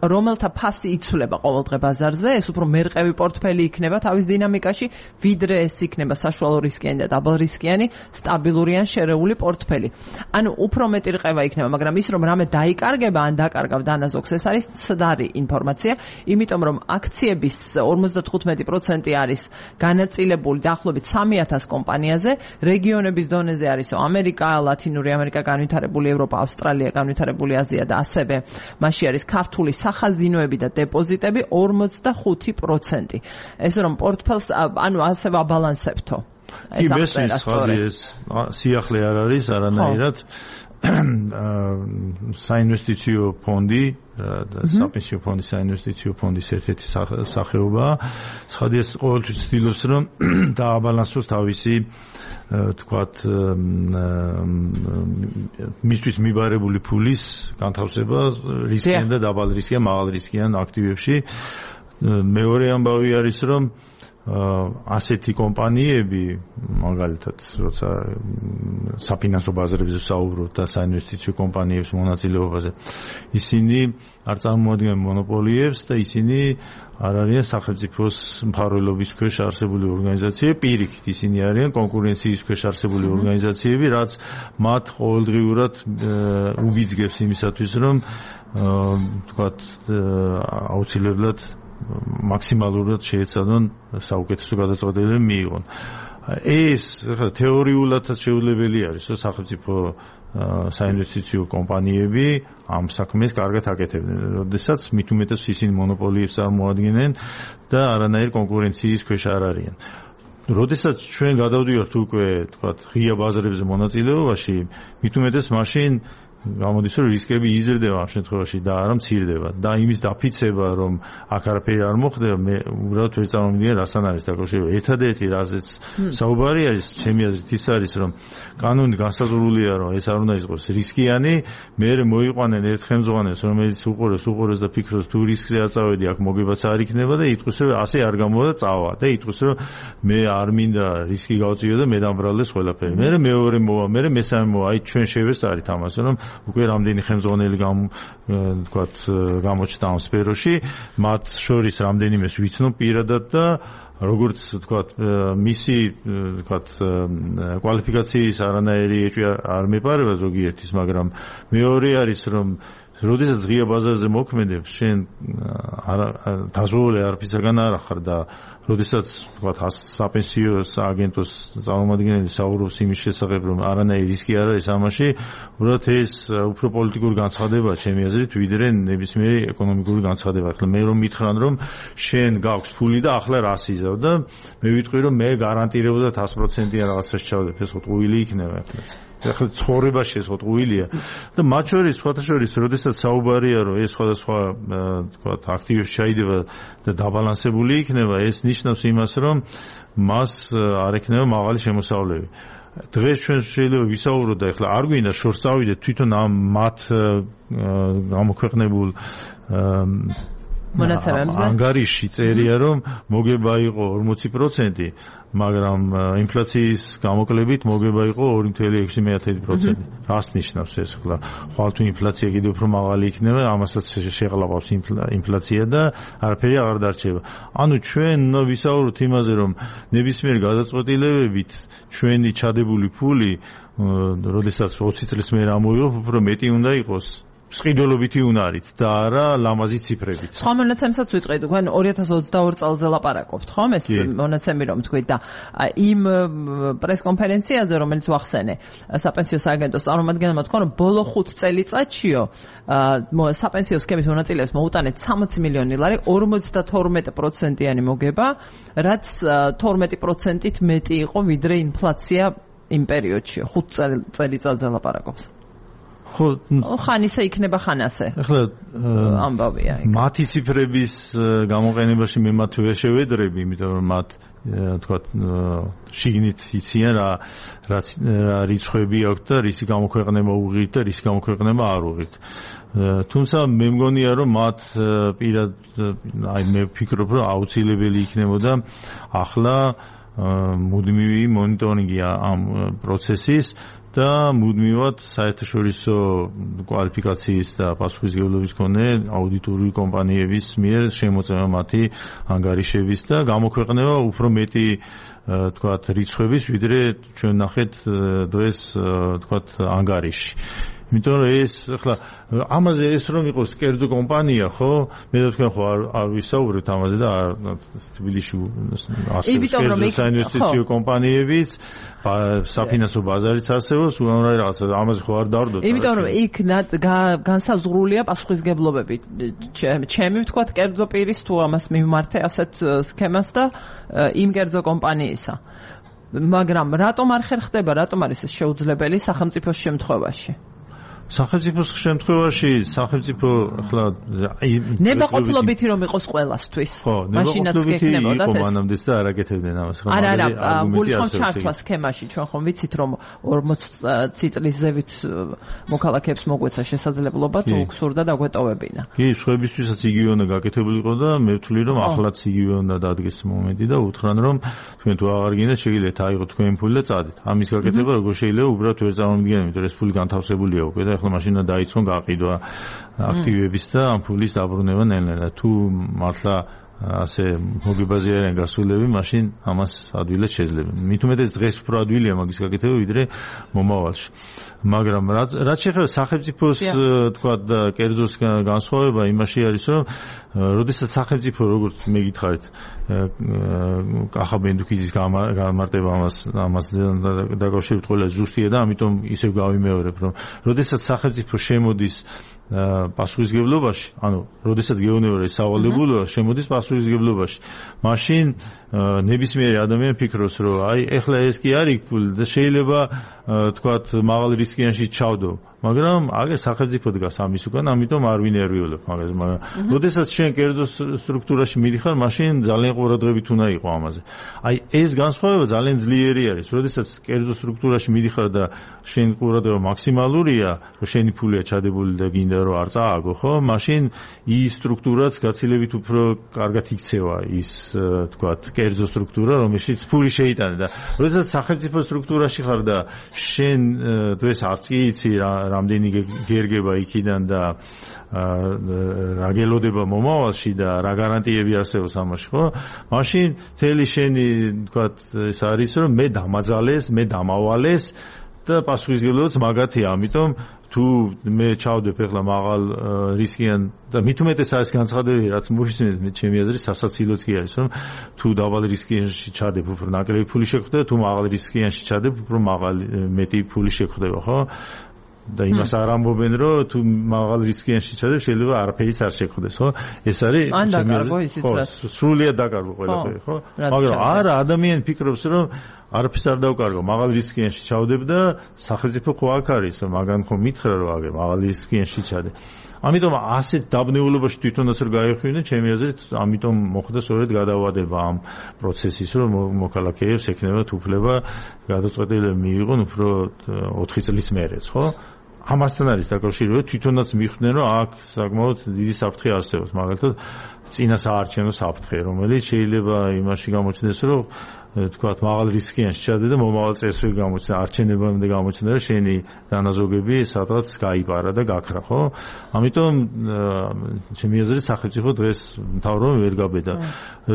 რომელთა ფასი იცვლება ყოველდღე ბაზარზე ეს უფრო მერყევი პორტფელი იქნება თავის დინამიკაში ვიდრე ეს იქნება საშუალო რისკიანი და დაბალ რისკიანი სტაბილური ან შერეული პორტფელი ანუ უფრო მეტი რყევა იქნება მაგრამ ის რომ რამე დაიკარგება ან დაკარგავ დანაზოგს ეს არის ცდარი ინფორმაცია იმიტომ რომ აქციების ორმოცდათხუთმეტი პროცენტი არის განაწილებული დაახლოებით სამი ათას კომპანიაზე რეგიონების დონეზე არის ამერიკა, ლათინური ამერიკა, განვითარებული ევროპა, ავსტრალია, განვითარებული აზია და ასევე მასში არის ქართული სახაზინოები და დეპოზიტები ორმოცდახუთი პროცენტი ეს რომ პორტფელს ანუ ასე ვაბალანსებთო ეს ეს სიახლე არ არის არანაირად საინვესტიციო ფონდი საპენსიო ფონდი საინვესტიციო ფონდის ერთ-ერთი სახეობაა. ცხადია ყოველთვის ცდილობს რომ დააბალანსოს თავისი თქვათ მისთვის მიბარებული ფულის განთავსება რისკიან და დაბალ რისკიან, მაღალ რისკიან აქტივებში. მეორე ამბავი არის რომ ასეთი კომპანიები მაგალითად როცა საფინანსო ბაზრებზე საუბრობთ და საინვესტიციო კომპანიებს მონაწილეობაზე ისინი არ წარმოადგენენ მონოპოლიებს და ისინი არ არიან სახელმწიფოს მფარველობის ქვეშ არსებული ორგანიზაციები პირიქით ისინი არიან კონკურენციის ქვეშ არსებული ორგანიზაციები რაც მათ ყოველდღიურად უბიძგებს იმისათვის რომ თქვათ აუცილებლად მაქსიმალურად შეეცადონ საუკეთესო გადაწყვეტილება მიიღონ. ეს თეორიულადაც შეუძლებელი არის, რომ სახელმწიფო საინვესტიციო კომპანიები ამ საქმეს კარგად აკეთებდნენ. როდესაც მით უმეტეს ისინი მონოპოლიებს წარმოადგენენ და არანაირ კონკურენციის ქვეშ არ არიან. როდესაც ჩვენ გადავდივართ უკვე, თქვათ, ღია ბაზრებზე მონაწილეობაში, მით უმეტეს მაშინ გამოდის რომ რისკები იზრდება ამ შემთხვევაში და არა მცირდება და იმის დაფიცება რომ აქ არაფერი არ მოხდება მე უბრალოდ ვერ წარმოვიდგინე რასთან არის დაკავშირებული ერთადერთი რაზეც საუბარი არის ჩემი აზრით ის არის რომ კანონი განსაზღვრულია რომ ეს არ უნდა იყოს რისკიანი მე მოიყვანენ ერთ ხელმძღვანელს რომელიც უყურებს უყურებს და ფიქრობს თუ რისკზე აწავედი აქ მოგებაც არ იქნება და იტყვის რომ ასე არ გამოვა და წავა და იტყვის რომ მე არ მინდა რისკი გავწიო და მე დამბრალდეს ყველაფერი მე მეორე მოვა მე მესამე მოვა აი ჩვენ შევესწარით ამას რომ უკვე რამდენი ხელმძღვანელი გამ თქვათ გამოჩნდა ამ სფეროში მათ შორის რამდენიმეს ვიცნობ პირადად და როგორც თქვათ მისი თქვათ კვალიფიკაციის არანაირი ეჭვი არ მეპარება ზოგიერთის მაგრამ მეორე არის რომ როდესაც ღია ბაზარზე მოქმედებს შენ დაზღვეული არაფრისაგან არ ახარ და როდესაც თქვათ საპენსიო აგენტოს წარმომადგენელი საუბრობს იმის შესახებ რომ არანაირი რისკი არ არის ამაში უბრალოდ ეს უფრო პოლიტიკური განცხადებაა ჩემი აზრით ვიდრე ნებისმიერი ეკონომიკური განცხადება ახლა მე რომ მითხრან რომ შენ გაქვს ფული და ახლა რას იზავ და მე ვიტყვი რომ მე გარანტირებულად ათას პროცენტიან რაღაცას ჩავდებ ეს ყუილი იქნება ახლა ცხოვრებაში ეს ყუილია და მათ შორის სხვათა შორის როდესაც საუბარია რომ ეს სხვადასხვა თქვათ აქტივებს ჩაიდება და დაბალანსებული იქნება ეს ნიშნავს იმას რომ მას არ ექნება მაღალი შემოსავლები დღეს ჩვენ შეიძლება ვისაუბროთ და ახლა არ გვინდა შორს წავიდეთ თვითონ ამ მათ გამოქვეყნებულ მონაცემებზე ანგარიში წერია რომ მოგება იყო ორმოცი პროცენტი მაგრამ ინფლაციის გამოკლებით მოგება იყო ორი ნული ექვსი პროცენტი რას ნიშნავს ეს ხლა ხვალ თუ ინფლაცია კიდევ უფრო მაღალი იქნება ამასაც შეღლავავს ინფლაცია და არაფერი აღარ დარჩება ანუ ჩვენ ვისაუბროთ იმაზე რომ ნებისმიერ გადაწყვეტილებებით ჩვენი ჩადებული ფული როდესაც ოცი წლის მერე ამოვიღებ უფრო მეტი უნდა იყოს სყიდველობითი უნარით და არა ლამაზი ციფრებით. სხვა მონაცემსაც ვიტყვით, თქვენ ორი ათას ოცდაორი წელზე ლაპარაკობთ, ხომ? ეს მონაცემი რომ თქვით და იმ პრესკონფერენციაზე რომელიც ვახსენე, საპენსიო სააგენტოს წარმომადგენელმა თქვა, რომ ბოლო ხუთ წელიწადშიო საპენსიო სქემის მონაწილეებს მოუტანეთ სამოცი მილიონი ლარი, ორმოცდათორმეტი პროცენტიანი მოგება, რაც თორმეტი პროცენტით მეტი იყო ვიდრე ინფლაცია იმ პერიოდში ხუთ წელიწადზე ლაპარაკობს. ხო, ხან ისე იქნება, ხან ასე. ახლა ამბავია. მათი ციფრების გამოყენებაში მე მათ ვერ შევედრები, იმიტომ რომ მათ თქვა შიგნით იციან რა რა რიცხვები აქვს და რისი გამოქვეყნება უღირთ და რისი გამოქვეყნება არ უღირთ. თუმცა მე მგონია რომ მათ პირად აი მე ვფიქრობ რომ აუცილებელი იქნებოდა ახლა მუდმივი მონიტორინგი ამ პროცესის და მუდმივად საერთაშორისო კვალიფიკაციის და პასუხისმგებლობის მქონე აუდიტორული კომპანიების მიერ შემოწმება მათი ანგარიშების და გამოქვეყნება უფრო მეტი თქვათ რიცხვების, ვიდრე ჩვენ ნახეთ დღეს თქვათ ანგარიში. იმიტომ რომ ეს ახლა ამაზე ეს რომ იყოს კერძო კომპანია, ხო? მე და თქვენ ხო არ არ ვისაუბრებთ ამაზე და თბილისში ასევე კერძო საინვესტიციო კომპანიებიც, საფინანსო ბაზარიც არსებობს, უამრავი რაღაცა ამაზე ხო არ დავდოთ. იმიტომ რომ იქ განსაზღვრულია პასუხისმგებლობები. ჩემი ვთქვათ კერძო პირის თუ ამას მიმართე ასეთ სქემას და იმ კერძო კომპანიისა. მაგრამ რატომ არ ხერხდება, რატომ არის ეს შეუძლებელი სახელმწიფოს შემთხვევაში? სახელმწიფოს შემთხვევაში სახელმწიფო ახლა ნებაყოფლობითი რომ იყოს ყველასთვის. მაშინაც გექნებოდათ ეს. მანამდე და არაკეთებდნენ ამას. არა, არა, გულისხმობ ჩართვა სქემაში, ჩვენ ხომ ვიცით რომ ორმოცი წლის ზევით მოქალაქეებს მოგვეცა შესაძლებლობა თუ გსურდა დაგვეტოვებინა. კი, სხვებისთვისაც იგივე უნდა გაკეთებულიყო და მე ვთვლი რომ ახლაც იგივე უნდა დადგეს მომენტი და უთხრან რომ თქვენ თუ აღარ გინდა შეგიძლიათ აიღოთ თქვენი ფული და წადით. ამის გაკეთება როგორ შეიძლება უბრალოდ ვერ წარმოვიდგენთ, იმიტომ რომ ეს ფული განთავსებულია უკვე და ახლა მაშინ დაიწყონ გაყიდვა აქტივების და ამ ფულის დაბრუნება ნელ-ნელა. თუ მართლა ასე მოგებაზე არიან გასულები, მაშინ ამას ადვილად შეძლება. მით უმეტეს დღეს უფრო ადვილია მაგის გაკეთება, ვიდრე მომავალში. მაგრამ რაც შეეხება სახელმწიფოს თქვა და კერძოს განსხვავება იმაში არის, რომ როდესაც სახელმწიფო როგორც მე გითხარით კახა ბენდუქიძის გამარტება ამას ამას დაკავშირებით ყველა ზუსტია და ამიტომ ისევ გავიმეორებ, რომ როდესაც სახელმწიფო შემოდის პასუხისმგებლობაში, ანუ როდესაც გეუბნება სავალდებულოა შემოდის პასუხისმგებლობაში, მაშინ ნებისმიერი ადამიანი ფიქრობს, რომ აი ეხლა ეს კი არის ფული და შეიძლება თქვათ მაღალ რისკიანში ჩავდო. მაგრამ აგერ სახელმწიფო დგას ამის უკან, ამიტომ არ ვინერვიულებ მაგას. მაგრამ როდესაც შენ კერძო სტრუქტურაში მიდიხარ, მაშინ ძალიან ყურადღებით უნდა იყო ამაზე. აი ეს განსხვავება ძალიან ძლიერი არის. როდესაც კერძო სტრუქტურაში მიდიხარ და შენ ყურადღება მაქსიმალურია, რომ შენი ფულია ჩადებული და გინდა რომ არ წააგო, ხო? მაშინ ის სტრუქტურაც გაცილებით უფრო კარგად იქცევა ის თქვათ კერძო სტრუქტურა, რომელშიც ფული შეიტანე და როდესაც სახელმწიფო სტრუქტურაში ხარ და შენ დღეს არც კი იცი რა რამდენი გერგება იქიდან და რა გელოდება მომავალში და რა გარანტიები არსებობს ამაში, ხო? მაშინ თელი შენი თქვათ ეს არის რომ მე დამაძალეს, მე დამავალეს და პასუხისმგებლობაც მაგათია, ამიტომ თუ მე ჩავდებ ახლა მაღალ რისკიან და მით უმეტეს არის განცხადებული, რაც მოიხსენეთ მე ჩემი აზრით სასაცილოც კი არის, რომ თუ დაბალ რისკიანში ჩადებ, უფრო ნაკლები ფული შეგხვდება, თუ მაღალ რისკიანში ჩადებ, უფრო მაღალი მეტი ფული შეგხვდება, ხო? და იმას არ ამბობენ, რომ თუ მაღალ რისკიანში ჩადებ, შეიძლება არაფერიც არ შეგხვდეს, ხო? ეს არის სრულიად დაკარგო ყველაფერი, ხო? მაგრამ არა, ადამიანი ფიქრობს, რომ არაფერს არ დავკარგო, მაღალ რისკიანში ჩავდებ და სახელმწიფო ხო აქ არის, მაგან ხო მითხრა რომ აგე მაღალ რისკიანში ჩადე. ამიტომ ასეთ დაბნეულობაში თვითონაც რომ გაიხსნა, ჩემი აზრით, ამიტომ მოხდა სწორედ გადავადება ამ პროცესის, რომ მოქალაქეებს ექნებათ უფლება გადაწყვეტილება მიიღონ უფრო ოთხი წლის მერეც, ხო? ამასთან არის დაკავშირებული, თვითონაც მიხვდნენ, რომ აქ საკმაოდ დიდი საფრთხე არსებობს, მაგალითად, წინა საარჩევნო საფრთხე, რომელიც შეიძლება იმაში გამოჩნდეს, რომ თქვათ მაღალ რისკიანში ჩადე და მომავალ წესრიგ გამოჩნდა, არჩევნებამდე გამოჩნდა, რომ შენი დანაზოგები სადღაც გაიპარა და გაქრა, ხო? ამიტომ ჩემი აზრით სახელმწიფო დღეს მთავრობა ვერ გაბედა.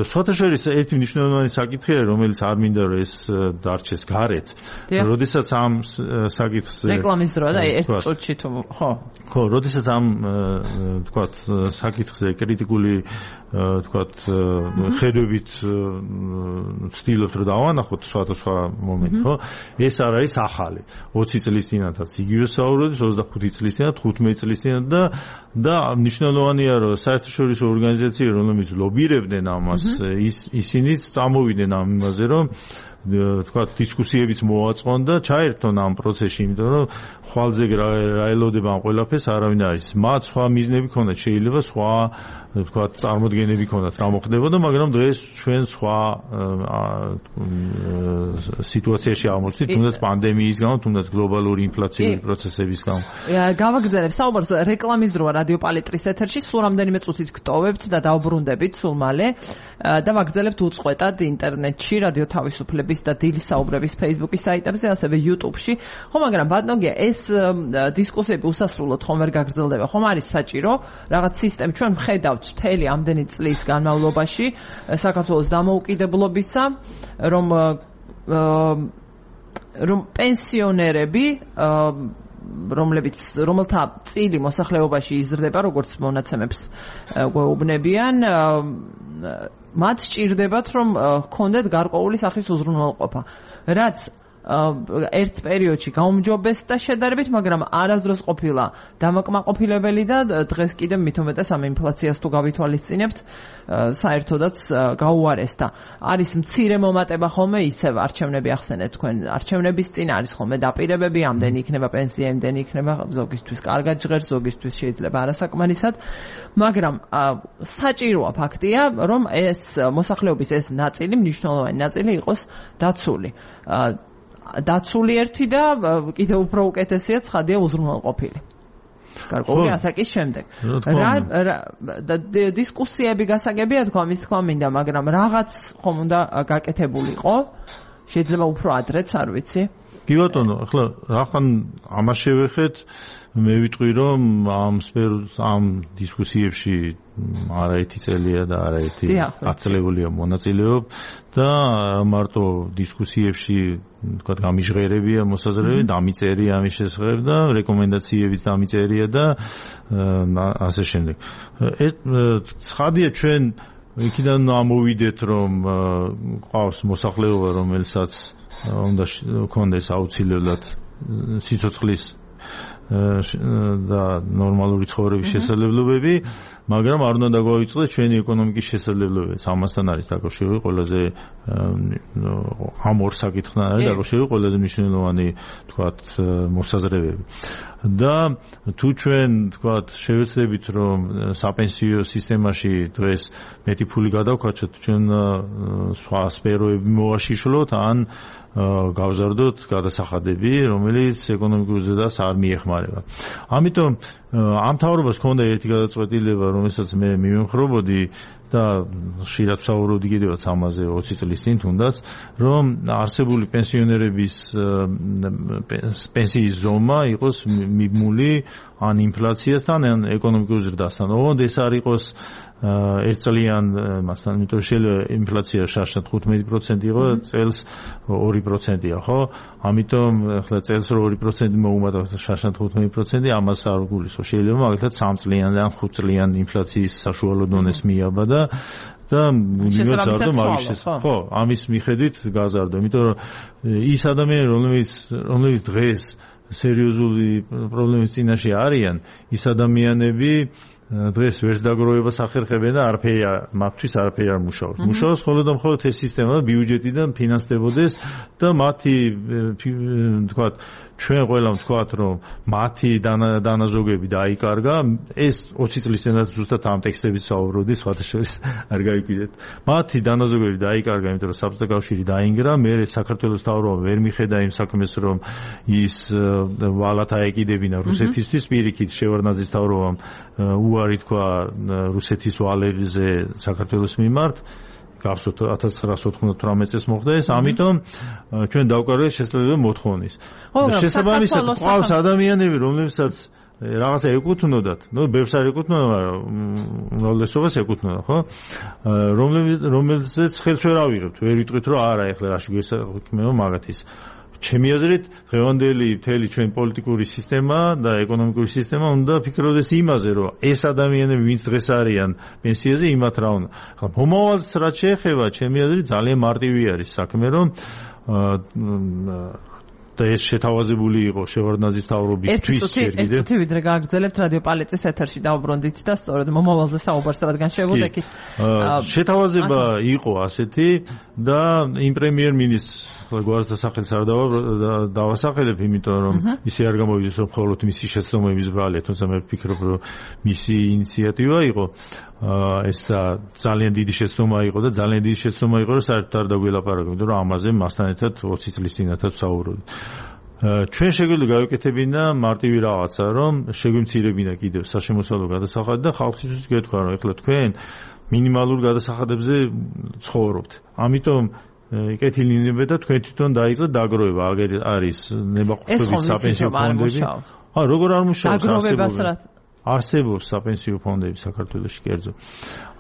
სხვათა შორის ერთი მნიშვნელოვანი საკითხი არის, რომელიც არ მინდა რომ ეს დარჩეს გარეთ. როდესაც ამ საკითხს რეკლამის დროა და ერთ წუთში თუ ხო? ხო, როდესაც ამ თქვათ საკითხზე კრიტიკული თქვათ ხედვებით ვცდილობთ რომ დავანახოთ სხვადასხვა მომენტი, ხო? ეს არ არის ახალი. ოცი წლის წინათაც იგივე საუბრობთ, ოცდახუთი წლის წინათ, თხუთმეტი წლის წინათ და და მნიშვნელოვანია რომ საერთაშორისო ორგანიზაციები, რომლებიც ლობირებდნენ ამას, ისინიც წამოვიდნენ ამ იმაზე, რომ თქვა დისკუსიებიც მოაწყონდა, ჩაერთონ ამ პროცესში, იმიტომ რომ ხვალზე რა ელოდება ამ ყველაფერს არავინ არის. მათ სხვა მიზნები ქონდათ, შეიძლება სხვა თქვა წარმოდგენები ქონდათ რა მოხდებოდა, მაგრამ დღეს ჩვენ სხვა სიტუაციაში აღმოჩნდით, თუნდაც პანდემიის გამო, თუნდაც გლობალური ინფლაციური პროცესების გამო. გავაგრძელებ საუბარს რეკლამის დროა რადიო პალიტრის ეთერში, სულ რამდენიმე წუთით გტოვებთ და დავბრუნდებით სულ მალე და ვაგრძელებთ უწყვეტად ინტერნეტში, რადიო თავისუფლების და დილის საუბრების Facebook-ის საიტებზე, ასევე YouTube-ში. ხო, მაგრამ ბატონო, ეს დისკუსიები უსასრულოდ ხომ ვერ გაგრძელდება, ხომ არის საჭირო რაღაც სისტემა ჩვენ ვხედავთ მთელი ამდენი წლის განმავლობაში საქართველოს დამოუკიდებლობისა, რომ რომ პენსიონერები რომლებიც რომელთა წილი მოსახლეობაში იზრდება, როგორც მონაცემებს გვეუბნებიან, მათ სჭირდებათ, რომ ჰქონდეთ გარკვეული სახის უზრუნველყოფა, რაც ერთ პერიოდში გაუმჯობესდა შედარებით, მაგრამ არასდროს ყოფილა დამაკმაყოფილებელი და დღეს კიდევ მით უმეტეს ამ ინფლაციას თუ გავითვალისწინებთ, საერთოდაც გაუარესდა. არის მცირე მომატება ხოლმე ისევ არჩევნები ახსენეთ თქვენ, არჩევნების წინ არის ხოლმე დაპირებები, ამდენი იქნება პენსია, ამდენი იქნება, ზოგისთვის კარგად ჟღერს, ზოგისთვის შეიძლება არასაკმარისად, მაგრამ საჭიროა ფაქტია, რომ ეს მოსახლეობის ეს ნაწილი, მნიშვნელოვანი ნაწილი იყოს დაცული. დაცული ერთი და კიდევ უფრო უკეთესია ცხადია უზრუნველყოფილი. გარკვეული ასაკის შემდეგ. რა დისკუსიები გასაგებია თქვა, მის თქვა მინდა, მაგრამ რაღაც ხომ უნდა გაკეთებულიყო. შეიძლება უფრო ადრეც, არ ვიცი. კი ბატონო, ახლა რახან ამას შევეხეთ, მე ვიტყვი რომ ამ სფეროს ამ დისკუსიებში არაერთი წელია და არაერთი აწლებულია მონაწილეობ და მარტო დისკუსიებში თქვა გამიჟღერებია მოსაზრებები, დამიწერია ამის შესახებ და რეკომენდაციებიც დამიწერია და ასე შემდეგ. ცხადია ჩვენ იქიდან ამოვიდეთ რომ ყავს მოსახლეობა რომელსაც უნდა კონდეს აუცილებლად სიცოცხლის და ნორმალური ცხოვრების შესაძლებლობები, მაგრამ არ უნდა დაგვაიწყდეს ჩვენი ეკონომიკის შესაძლებლობებიც. ამასთან არის დაკავშირებული ყველაზე ამ ორ საკითხთან არის დაკავშირებული ყველაზე მნიშვნელოვანი თქვათ მოსაზრებები. და თუ ჩვენ თქვათ შევეცდებით რომ საპენსიო სისტემაში დღეს მეტი ფული გადავქაჩოთ, ჩვენ სხვა სფეროები მოვაშიშვლოთ ან გავზარდოთ გადასახადები, რომელიც ეკონომიკურ ზრდას არ მიეხმარება. ამიტომ ამ მთავრობას ჰქონდა ერთი გადაწყვეტილება, რომელსაც მე მივემხრობოდი და ხშირად ვსაუბრობდი კიდევაც ამაზე ოცი წლის წინ თუნდაც, რომ არსებული პენსიონერების პენსიის ზომა იყოს მიბმული ან ინფლაციასთან, ან ეკონომიკურ ზრდასთან. ოღონდ ეს არ იყოს ერთწლიან მასთან, იმიტომ შეიძლება ინფლაცია შარშან თხუთმეტი პროცენტი იყო, წელს ორი პროცენტია, ხო? ამიტომ ახლა წელს ორი პროცენტი მოუმატოთ შარშან თხუთმეტი პროცენტი, ამას არ გულისხმობს. შეიძლება მაგალითად სამ წლიან ან ხუთ წლიან ინფლაციის საშუალო დონეს მიაბადა და მივაზარდო მაგის შესახებ. ხო, ამის მიხედვით გაზარდო, იმიტომ რომ ის ადამიანები, რომლებიც რომლებიც დღეს სერიოზული პრობლემის წინაშე არიან, ის ადამიანები დღეს ვერც დაგროვებას ახერხებენ და არაფერი მათთვის არაფერი არ მუშაობს. მუშაობს მხოლოდ და მხოლოდ ეს სისტემა ბიუჯეტიდან ფინანსდებოდეს და მათი თქვათ ჩვენ ყველამ ვთქვათ რომ მათი დანაზოგები დაიკარგა, ეს ოცი წლის წინათ ზუსტად ამ ტექსტებით საუბრობდი, სხვათა შორის არ გაიკვირდეთ. მათი დანაზოგები დაიკარგა, იმიტომ რომ საბჭოთა კავშირი დაინგრა, მე საქართველოს მთავრობა ვერ მიხედა იმ საქმეს, რომ ის ვალათ აეკიდებინა რუსეთისთვის, პირიქით შევარდნაძის მთავრობამ უარი თქვა რუსეთის ვალებზე საქართველოს მიმართ. გახსოვთ ათას ცხრაასი ოთხმოცდათვრამეტ წელს მოხდა ეს, ამიტომ ჩვენ დავკარგეთ შესაძლებელი მოთხოვნის. შესაბამისად ყავს ადამიანები, რომლებსაც რაღაცა ეკუთვნოდათ, ნუ ბევრს არ ეკუთვნოდა, მაგრამ უმრავლესობას ეკუთვნოდა, ხო? რომელსაც ხელს ვერ ავიღებთ, ვერ ვიტყვით რომ არა, ეხლა რაში გვესაქმეო მაგათის. ჩემი აზრით, დღევანდელი მთელი ჩვენ პოლიტიკური სისტემა და ეკონომიკური სისტემა უნდა ფიქრობდეს იმაზე, რომ ეს ადამიანები, ვინც დღეს არიან პენსიაზე, იმათ რა უნდა. ხა მომავალს რაც შეეხება, ჩემი აზრით ძალიან მარტივი არის საქმე, რომ და ეს შეთავაზებული იყო შევარდნაძის მთავრობისთვის ჯერ კიდევ. ერთი წუთი ვიდრე გააგრძელებთ რადიო პალეტრის ეთერში დაუბრუნდით და სწორედ მომავალზე საუბარს რადგან შევუდექით. შეთავაზება იყო ასეთი და იმ პრემიერ-მინისტრს გვარს სახელს არ დავასახელებ, იმიტომ რომ ისე არ გამოვიდეს რომ მხოლოდ მისი შეცდომების ბრალია, თუმცა მე ვფიქრობ რომ მისი ინიციატივა იყო ეს და ძალიან დიდი შეცდომა იყო და ძალიან დიდი შეცდომა იყო რომ საერთოდ არ დაგველაპარაკო, იმიტომ რომ ამაზე მასთან ერთად ოცი წლის წინათაც ვსაუბრობთ. ჩვენ შეგვიძლია გავეკეთებინა მარტივი რაღაცა, რომ შეგვიმცირებინა კიდევ საშემოსავლო გადასახადი და ხალხისთვის გეთქვა რომ ეხლა თქვენ მინიმალურ გადასახადებზე ცხოვრობთ. ამიტომ კეთილინებდა და თქვენ თვითონ დაიწყეთ დაგროვება, აგერ არის ნებაყოფლობის საპენსიო ფონდები. აა როგორ არ მუშაობს დაგროვებას რა არსებობს საპენსიო ფონდები საქართველოში კერძო.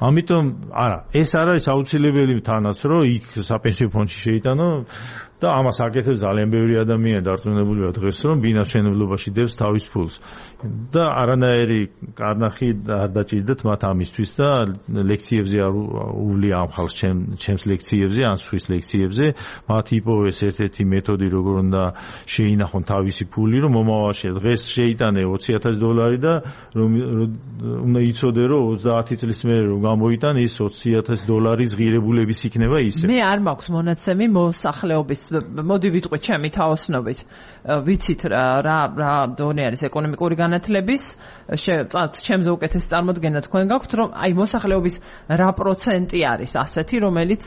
ამიტომ არა, ეს არ არის აუცილებელი თანაც რომ იქ საპენსიო ფონდში შეიტანო და ამას აკეთებს ძალიან ბევრი ადამიანი დარწმუნებულია დღეს რომ ბინაჩვენებლობაში დევს თავის ფულს და არანაირი კარნახი არ დაჭირდათ მათ ამისთვის და ლექციებზე არ უვლია ამ ხალხს ჩემს ლექციებზე ან სხვის ლექციებზე მათ იპოვეს ერთ-ერთი მეთოდი როგორ უნდა შეინახონ თავისი ფული რომ მომავალში დღეს შეიტანე ოცი ათასი დოლარი და რომ უნდა იცოდე რომ ოცდაათი წლის მერე რომ გამოიტან ის ოცი ათასი დოლარის ღირებულების იქნება ისე. მე არ მაქვს მონაცემი მოსახლეობის მოდი ვიტყვი ჩემი თაოსნობით ვიცით რა რა დონე არის ეკონომიკური განათლების ჩემზე უკეთეს წარმოდგენა თქვენ გაქვთ რომ აი მოსახლეობის რა პროცენტი არის ასეთი რომელიც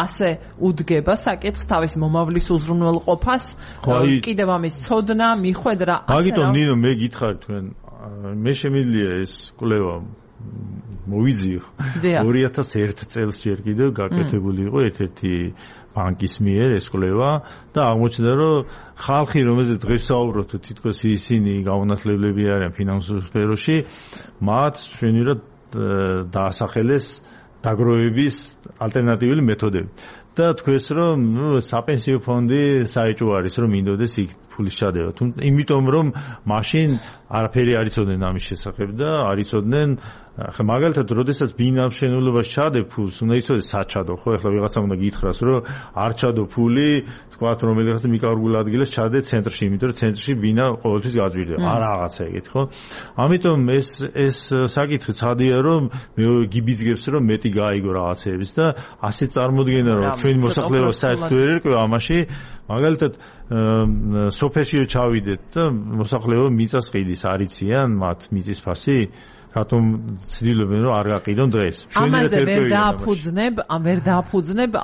ასე უდგება საკითხს თავის მომავლის უზრუნველყოფას კიდევ ამის ცოდნა მიხვედრა მაგიტომ ნინო მე გითხარ თქვენ მე შემიძლია ეს კვლევა მოვიძიო ორი ათას ერთი წელს ჯერ კიდევ გაკეთებული იყო ერთ-ერთი ბანკის მიერ ეს კვლევა და აღმოჩნდა რომ ხალხი რომელზეც დღეს საუბრობთ თითქოს ისინი გაუნათლებლები არიან ფინანსურ სფეროში მათ შვენივრად დაასახელეს დაგროვების ალტერნატიული მეთოდები და თქვენს რომ ნუ საპენსიო ფონდი საეჭვო არის რომ მინდოდეს იქ ფულის ჩადევა თუმცა იმიტომ რომ მაშინ არაფერი არ იცოდნენ ამის შესახებ და არ იცოდნენ ხა მაგალითად როდესაც ბინავშენებლობას ჩადებ ფულს უნდა იცოდეს საჩადო ხო ეხლა ვიღაცა უნდა გითხრას რომ არ ჩადო ფული თქვათ რომელიღაც მიკარგულ ადგილას ჩადე ცენტრში იმიტომ რომ ცენტრში ბინა ყოველთვის გაძვირდება არ რაღაცა ეგეთ ხო ამიტომ ეს ეს საკითხი ცხადია რომ მე გიბიძგებს რომ მეტი გაიგო რაღაცეების და ასე წარმოდგენა რომ ჩვენი მოსახლეობა საერთოდ ვერ ერკვევა ამაში მაგალითად სოფელში ჩავიდეთ და მოსახლეობა მიწას ყიდის არიციან მათ მიწის ფასი რატომ ცდილობენ რომ არ გაყიდონ დღეს ამაზე ვერ დააფუძნებ ამ ვერ დააფუძნებ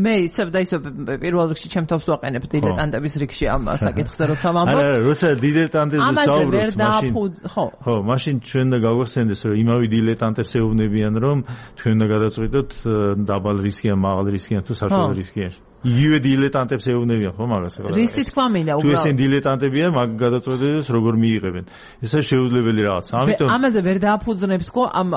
მე ისევ და ისევ პირველ რიგში ჩემ თავს ვაყენებ დილეტანტების რიგში ამ საკითხზე როცა ვამბობ არა როცა დილეტანტებზე საუბრობთ მაშინ ხო ხო მაშინ ჩვენ და გავახსენდეს რომ იმავე დილეტანტებს ეუბნებიან რომ თქვენ უნდა გადაწყვიტოთ დაბალ რისკიან მაღალ რისკიან თუ საშუალო რისკიან იგივე დილეტანტებს ეუბნებიან ხო მაგას ახლა რისი თქვა მინდა უბრალოდ თუ ესენ დილეტანტებია მაგ გადაწყვეტილებას როგორ მიიღებენ ესა შეუძლებელი რაღაცა ამიტომ ამაზე ვერ დააფუძნებს ხო ამ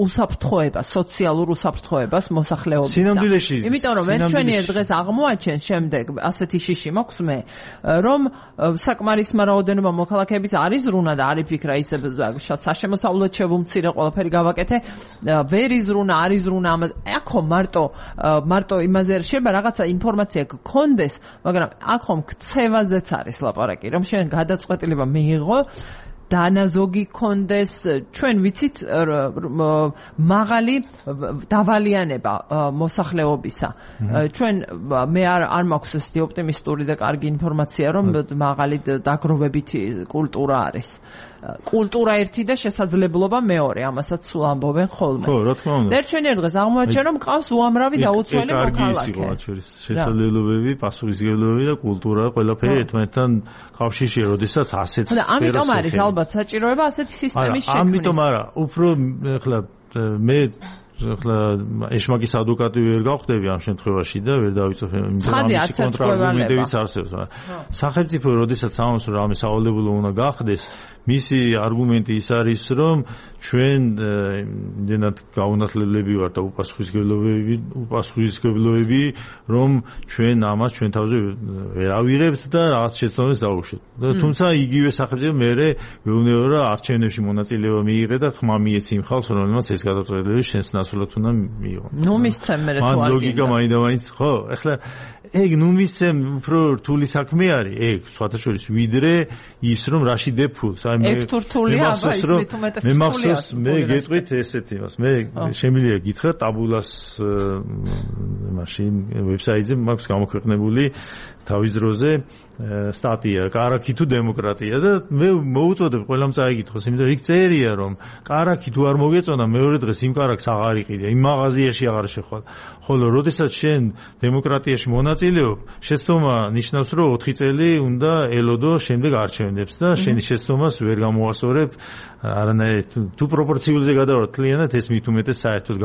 უსაფრთხოებას სოციალურ უსაფრთხოებას მოსახლეობის სინამდვილეში იმიტომ რომ ვერ ჩვენიერ დღეს აღმოაჩენს შემდეგ ასეთი შიში მაქვს მე რომ საკმარისმა რაოდენობა მოქალაქეების არის ზრუნა და არ იფიქრა ისე საშემოსავლოდ შევუმცირე ყველაფერი გავაკეთე ვერ იზრუნა არ იზრუნა ამაზე აქო მარტო მარტო იმაზე შეიძლება რაღაცა ინფორმაცია გქონდეს, მაგრამ აქ ხომ ქცევაზეც არის ლაპარაკი, რომ შენ გადაწყვეტილება მიიღო დანაზოგი გქონდეს, ჩვენ ვიცით მაღალი დავალიანება მოსახლეობისა. ჩვენ მე არ არ მაქვს ესეთი ოპტიმისტური და კარგი ინფორმაცია, რომ მაღალი დაგროვებითი კულტურა არის. კულტურა ერთი და შესაძლებლობა მეორე, ამასაც სულ ამბობენ ხოლმე. ხო, რა თქმა უნდა. ერთჩვენიერ დღეს აღმოაჩენ, რომ მყავს უამრავი დაუცველი მოქალაქე. კარგი ის იყო მათ შორის შესაძლებლობები, პასუხისმგებლობები და კულტურა ყველაფერი ერთმანეთთან კავშირშია, როდესაც ასეთ სფეროს. და ამიტომ არის ალბათ საჭიროება ასეთი სისტემის შექმნის. ამიტომ არა, უფრო ეხლა მე ახლა ეშმაკის ადვოკატი ვერ გავხდები ამ შემთხვევაში და ვერ დავიწოფე იმიტომ რომ ამის კონტრარგუმენტებიც არსებობს. სახელმწიფო როდესაც ამას რომ ამის სავალდებულო უნდა გახდეს, მისი არგუმენტი ის არის რომ ჩვენ იმდენად გაუნათლებლები ვართ და უპასუხისმგებლობები უპასუხისმგებლობები რომ ჩვენ ამას ჩვენ თავზე ვერ ავიღებთ და რაღაც შეცდომებს დავუშვით. თუმცა იგივე სახელმწიფო მერე მეუბნება რომ არჩევნებში მონაწილეობა მიიღე და ხმა მიეცი იმ ხალხს რომელმაც ეს გადაწყვეტილება შენს ნაცვლად უნდა მიიღო. ნუ მისცემ მე თუ არ მან ლოგიკა მაინდა-მაინც ხო? ეხლა ეგ ნუ მისცემ უფრო რთული საქმე არის, ეგ სხვათა შორის ვიდრე ის რომ რაში დეფულს. აი მე რთულია, აბა ის მით უმეტეს მე მახსოვს მე გეტყვით ესეთი მას. მე შემიძლია გითხრა ტაბულას მაშინ ვებსაიტზე მაქვს გამოქვეყნებული თავის დროზე სტატია კარაქი თუ დემოკრატია და მე მოუწოდებ ყველამ წაიგითხოს, იმიტომ რომ იქ წერია რომ კარაქი თუ არ მოგეწონა მეორე დღეს იმ კარაქს აღარ იყიდე, იმ მაღაზიაში აღარ შეხვალ. ხოლო როდესაც შენ დემოკრატიაში მონაწილეობ, შეცდომა ნიშნავს რომ ოთხი წელი უნდა ელოდო შემდეგ არჩევნებს და შენი შეცდომას ვერ გამოასწორებ არანაირ თუ პროპორციულზე გადავარ თლიანად ეს მით უმეტეს საერთოდ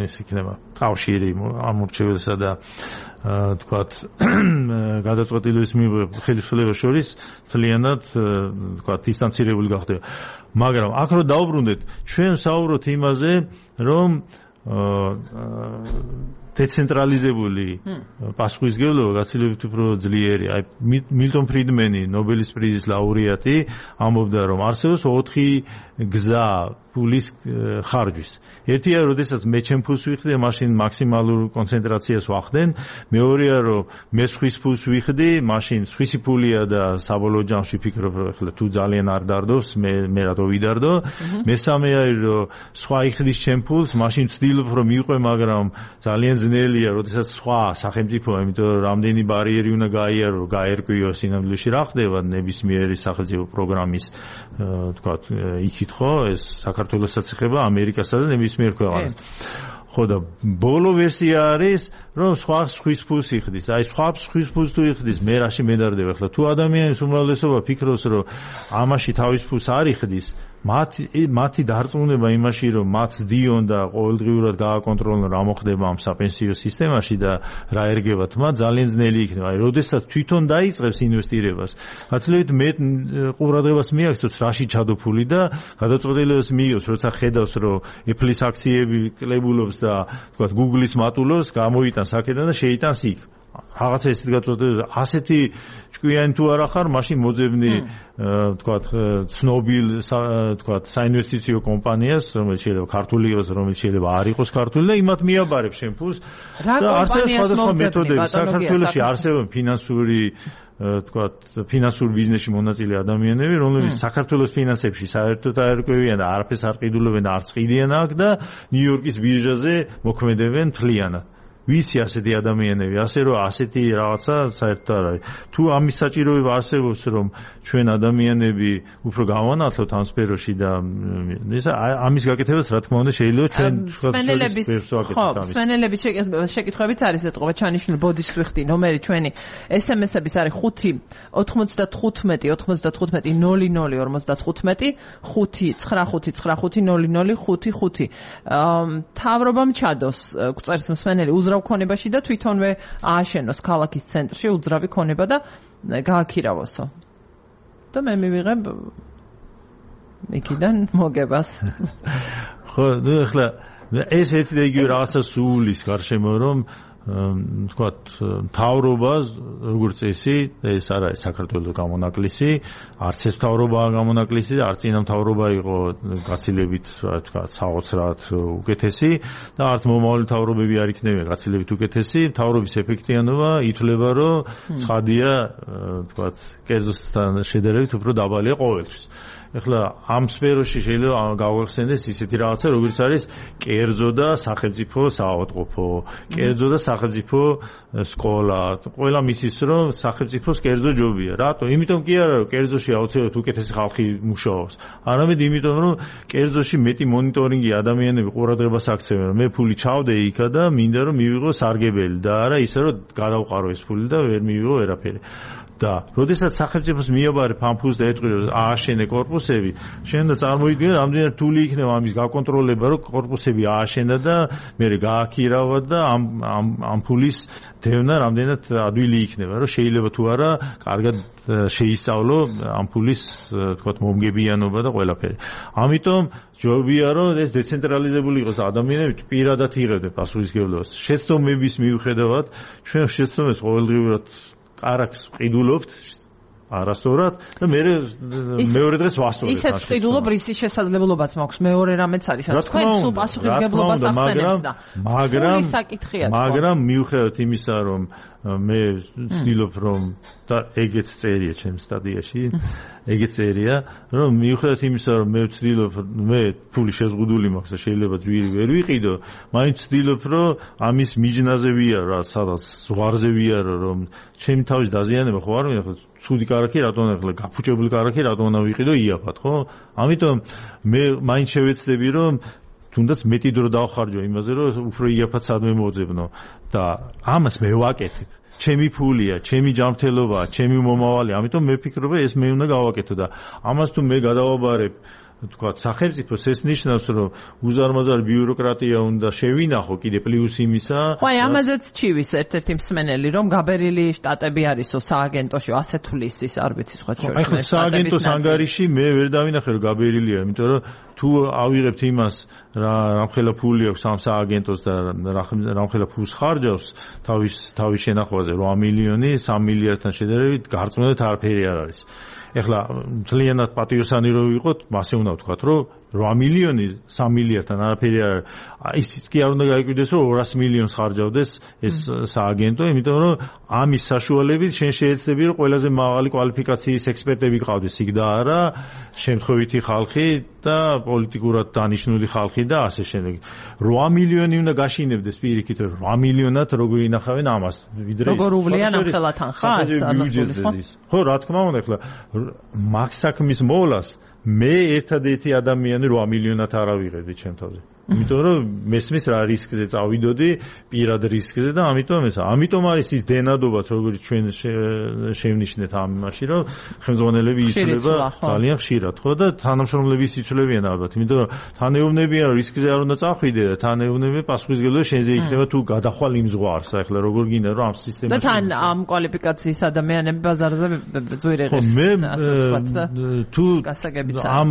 ეს იქნება კავშირი ამორჩეველსა და თქვათ გადაწყვეტილების ხელისუფლებას შორის თლიანად თქვათ დისტანცირებული გახდება. მაგრამ აქ რო დაუბრუნდეთ, ჩვენ საუბრობთ იმაზე, რომ დეცენტრალიზებული პასუხისმგებლობა გაცილებით უფრო ძლიერია. აი მილტონ ფრიდმენი, ნობელის პრიზის ლაურეატი, ამბობდა, რომ არსებობს ოთხი გზა ფულის ხარჯვის. ერთია, როდესაც მე ჩემ ფულს ვიხდი, მაშინ მაქსიმალურ კონცენტრაციას ვახდენ. მეორეა, რომ მე სხვის ფულს ვიხდი, მაშინ სხვისი ფულია და საბოლოო ჯამში ფიქრობ, რომ ახლა თუ ძალიან არ დარდოს, მე მე რატო ვიდარდო. მესამე არის, რომ სხვა იხდის ჩემ ფულს, მაშინ ვცდილობ, რომ მივყვე, მაგრამ ძალიან ძნელია, როდესაც სხვა სახელმწიფოა, იმიტომ რომ რამდენი ბარიერი უნდა გაიარო, რომ გაერკვიო სინამდვილეში რა ხდება ნებისმიერი სახელმწიფო პროგრამის თქვათ იქით ხო, ეს საქართველოსაც ეხება ამერიკასა და ნებისმიერ ქვეყანას. ხო და ბოლო ვერსია არის, რომ სხვა სხვის ფულს იხდის. აი სხვა სხვის ფულს თუ იხდის, მე რაში მედარდება ახლა. თუ ადამიანის უმრავლესობა ფიქრობს, რომ ამაში თავის ფულს არ იხდის, მათი მათი დარწმუნება იმაში, რომ მათ ძდიონ და ყოველდღიურად გააკონტროლონ რა მოხდება ამ საპენსიო სისტემაში და რა ერგებათ მათ, ძალიან ძნელი იქნება. აი, როდესაც თვითონ დაიწყებს ინვესტირებას, გაცილებით მეტ ყურადღებას მიაქცევს რაში ჩადოფული და გადაწყვეტილებას მიიღებს, როცა ხედავს, რომ Apple-ის აქციები კლებულობს და თქვათ Google-ის მატულობს, გამოიტანს აქედან და შეიტანს იქ. რაღაცა ესეთი გაწყვეტილება, ასეთი ჭკვიანი თუ არა ხარ, მაშინ მოძებნი თქვათ ცნობილ თქვათ საინვესტიციო კომპანიას, რომელიც შეიძლება ქართული იყოს, რომელიც შეიძლება არ იყოს ქართული და იმათ მიაბარებ შენ ფულს და არსებობს სხვადასხვა მეთოდები. საქართველოში არსებობს ფინანსური თქვათ ფინანსურ ბიზნესში მონაწილე ადამიანები, რომლებიც საქართველოს ფინანსებში საერთოდ არ ერკვევიან და არაფერს არ ყიდულობენ და არც ყიდიან აქ და ნიუ-იორკის ბირჟაზე მოქმედებენ თლიანად. ვიცი ასეთი ადამიანები, ასე რომ ასეთი რაღაცა საერთოდ არ არის. თუ ამის საჭიროება არსებობს, რომ ჩვენ ადამიანები უფრო გავანათლოთ ამ სფეროში და ეს ამის გაკეთებას რა თქმა უნდა შეიძლება ჩვენ სპენელების ხო, სპენელების შეკითხვებიც არის ეთყობა ჩანიშნული ბოდის ვიხდი ნომერი ჩვენი ეს ემ ესების არის ხუთი ოთხმოცდათხუთმეტი ოთხმოცდათხუთმეტი ნული ნული ორმოცდათხუთმეტი ხუთი ცხრა ხუთი ცხრა ხუთი ნული ნული ხუთი ხუთი თავრობამ ჩადოს გვწერს მსმენელი უზრა ქონებაში და თვითონვე ააშენოს ქალაქის ცენტრში უძრავი ქონება და გააქირავოსო. და მე მივიღებ იქიდან მოგებას. ხო, ნუ ახლა ეს ერთი და იგივე რაღაცა სულის გარშემო რომ თქვათ თავრობას როგორც წესი ეს არ არის საქართველოს გამონაკლისი, არც ეს თავრობაა გამონაკლისი და არც წინა თავრობა იყო გაცილებით თქვათ საოცრად უკეთესი და არც მომავალი თავრობები არ იქნება გაცილებით უკეთესი. თავრობის ეფექტიანობა ითვლება რომ ცხადია თქვათ კერძოსთან შედარებით უფრო დაბალია ყოველთვის. ეხლა ამ სფეროში შეიძლება გავახსენდეს ისეთი რაღაცა, როგორც არის კერძო და სახელმწიფო საავადმყოფო, კერძო და სახელმწიფო სკოლა. ყველა მისის რომ სახელმწიფოს კერძო ჯობია. რატო? იმიტომ კი არა, რომ კერძოში აუცილებლად უკეთესი ხალხი მუშაობს. არამედ იმიტომ, რომ კერძოში მეტი მონიტორინგი ადამიანები ყურადღებას აქცევენ. მე ფული ჩავდე იქა და მინდა რომ მივიღო სარგებელი და არა ისე რომ გადავყარო ეს ფული და ვერ მივიღო ვერაფერი. და როდესაც სახელმწიფოს მიაბარებ ამ ფულს და ეტყვი რომ ააშენე კორპუსები, შენ და წარმოიდგინე რამდენად რთული იქნება ამის გაკონტროლება, რომ კორპუსები ააშენა და მე გააქირავა და ამ ამ ამ ფულის დევნა რამდენად ადვილი იქნება, რომ შეიძლება თუ არა კარგად შეისწავლო ამ ფულის თქვათ მომგებიანობა და ყველაფერი. ამიტომ ჯობია რომ ეს დეცენტრალიზებული იყოს და ადამიანები პირადად იღებდნენ პასუხისმგებლობას. შეცდომების მიუხედავად ჩვენ შეცდომებს ყოველდღიურად კარაქს ყიდულობთ არასწორად და მე მეორე დღეს ვასწორებ. ისეთ ყიდულობ რისის შესაძლებლობაც მაქვს მეორე რამეც არის. თქვენ სულ პასუხისმგებლობას ახსენებთ და მაგრამ საკითხია. მაგრამ მიუხედავად იმისა, რომ მე ვცდილობ რომ და ეგეც წერია ჩემს სტატიაში, ეგეც წერია, რომ მიუხედავად იმისა, რომ მე ვცდილობ, მე ფული შეზღუდული მაქვს და შეიძლება ძვირი ვერ ვიყიდო, მაინც ვცდილობ, რომ ამის მიჯნაზე ვიარო, სადაც ზღვარზე ვიარო, რომ ჩემი თავის დაზიანება ხო არ მინდა, ხო ცუდი კარაქი რატომ ახლა გაფუჭებული კარაქი რატომ უნდა ვიყიდო იაფად, ხო? ამიტომ მე მაინც შევეცდები, რომ თუნდაც მეტი დრო დავხარჯო იმაზე, რომ უფრო იაფად სადმე მოძებნო და ამას მე ვაკეთებ. ჩემი ფულია, ჩემი ჯანმრთელობაა, ჩემი მომავალი, ამიტომ მე ვფიქრობ, ეს მე უნდა გავაკეთო და ამას თუ მე გადავაბარებ თქვა სახელმწიფოს ეს ნიშნავს რომ უზარმაზარი ბიუროკრატია უნდა შევინახო კიდე პლუს იმისა. ხო, აი ამაზეც ჩივის ერთ-ერთი მსმენელი რომ გაბერილი შტატები არისო სააგენტოში ასეთ თulis ის არ ვიცი სხვა შორის. აი ხო სააგენტოს ანგარიში მე ვერ დავინახე რომ გაბერილია, იმიტომ რომ თუ ავიღებთ იმას რა რამხელა ფული აქვს ამ სააგენტოს და რამხელა ფულს ხარჯავს თავის თავის შენახვაზე რვა მილიონი სამი მილიარდთან შედარებით გარწმუნებით არაფერი არ არის. ეხლა ძალიანად პატიოსანი რო ვიყოთ, მასე უნდა ვთქვათ, რომ რვა მილიონი სამი მილიარდთან არაფერი არ არის. ისიც კი არ უნდა გაიკვირდეს, რომ ორასი მილიონს ხარჯავდეს ეს სააგენტო, იმიტომ რომ ამის საშუალებით შენ შეეცდები, რომ ყველაზე მაღალი კვალიფიკაციის ექსპერტები გყავდეს იქ და არა შემთხვევითი ხალხი და პოლიტიკურად დანიშნული ხალხი და ასე შემდეგ. რვა მილიონი უნდა გაშინებდეს პირიქით, რვა მილიონად როგორ ინახავენ ამას, ვიდრე როგორ უვლიან ახლა თანხას. ხო, რა თქმა უნდა, ახლა მაგ საქმის მოვლას მე ერთადერთი ადამიანი რვა მილიონად არ ავიღებდი ჩემ თავზე. იმიტომ რომ მესმის რა რისკზე წავიდოდი, პირად რისკზე და ამიტომ ეს ამიტომ არის ის დენადობაც, როგორც ჩვენ შევნიშნეთ ამაში, რომ ხელმძღვანელები იცვლება ძალიან ხშირად, ხო და თანამშრომლები იცვლებიან ალბათ, იმიტომ რომ თანეუბნებიან რისკზე არ უნდა წახვიდე და თანეუბნები პასუხისმგებლობა შენზე იქნება თუ გადახვალ იმ ზღვარს, ახლა როგორ გინდა რომ ამ სისტემაში და თან ამ კვალიფიკაციის ადამიანები ბაზარზე ძვირ ეღებს. მე თუ ამ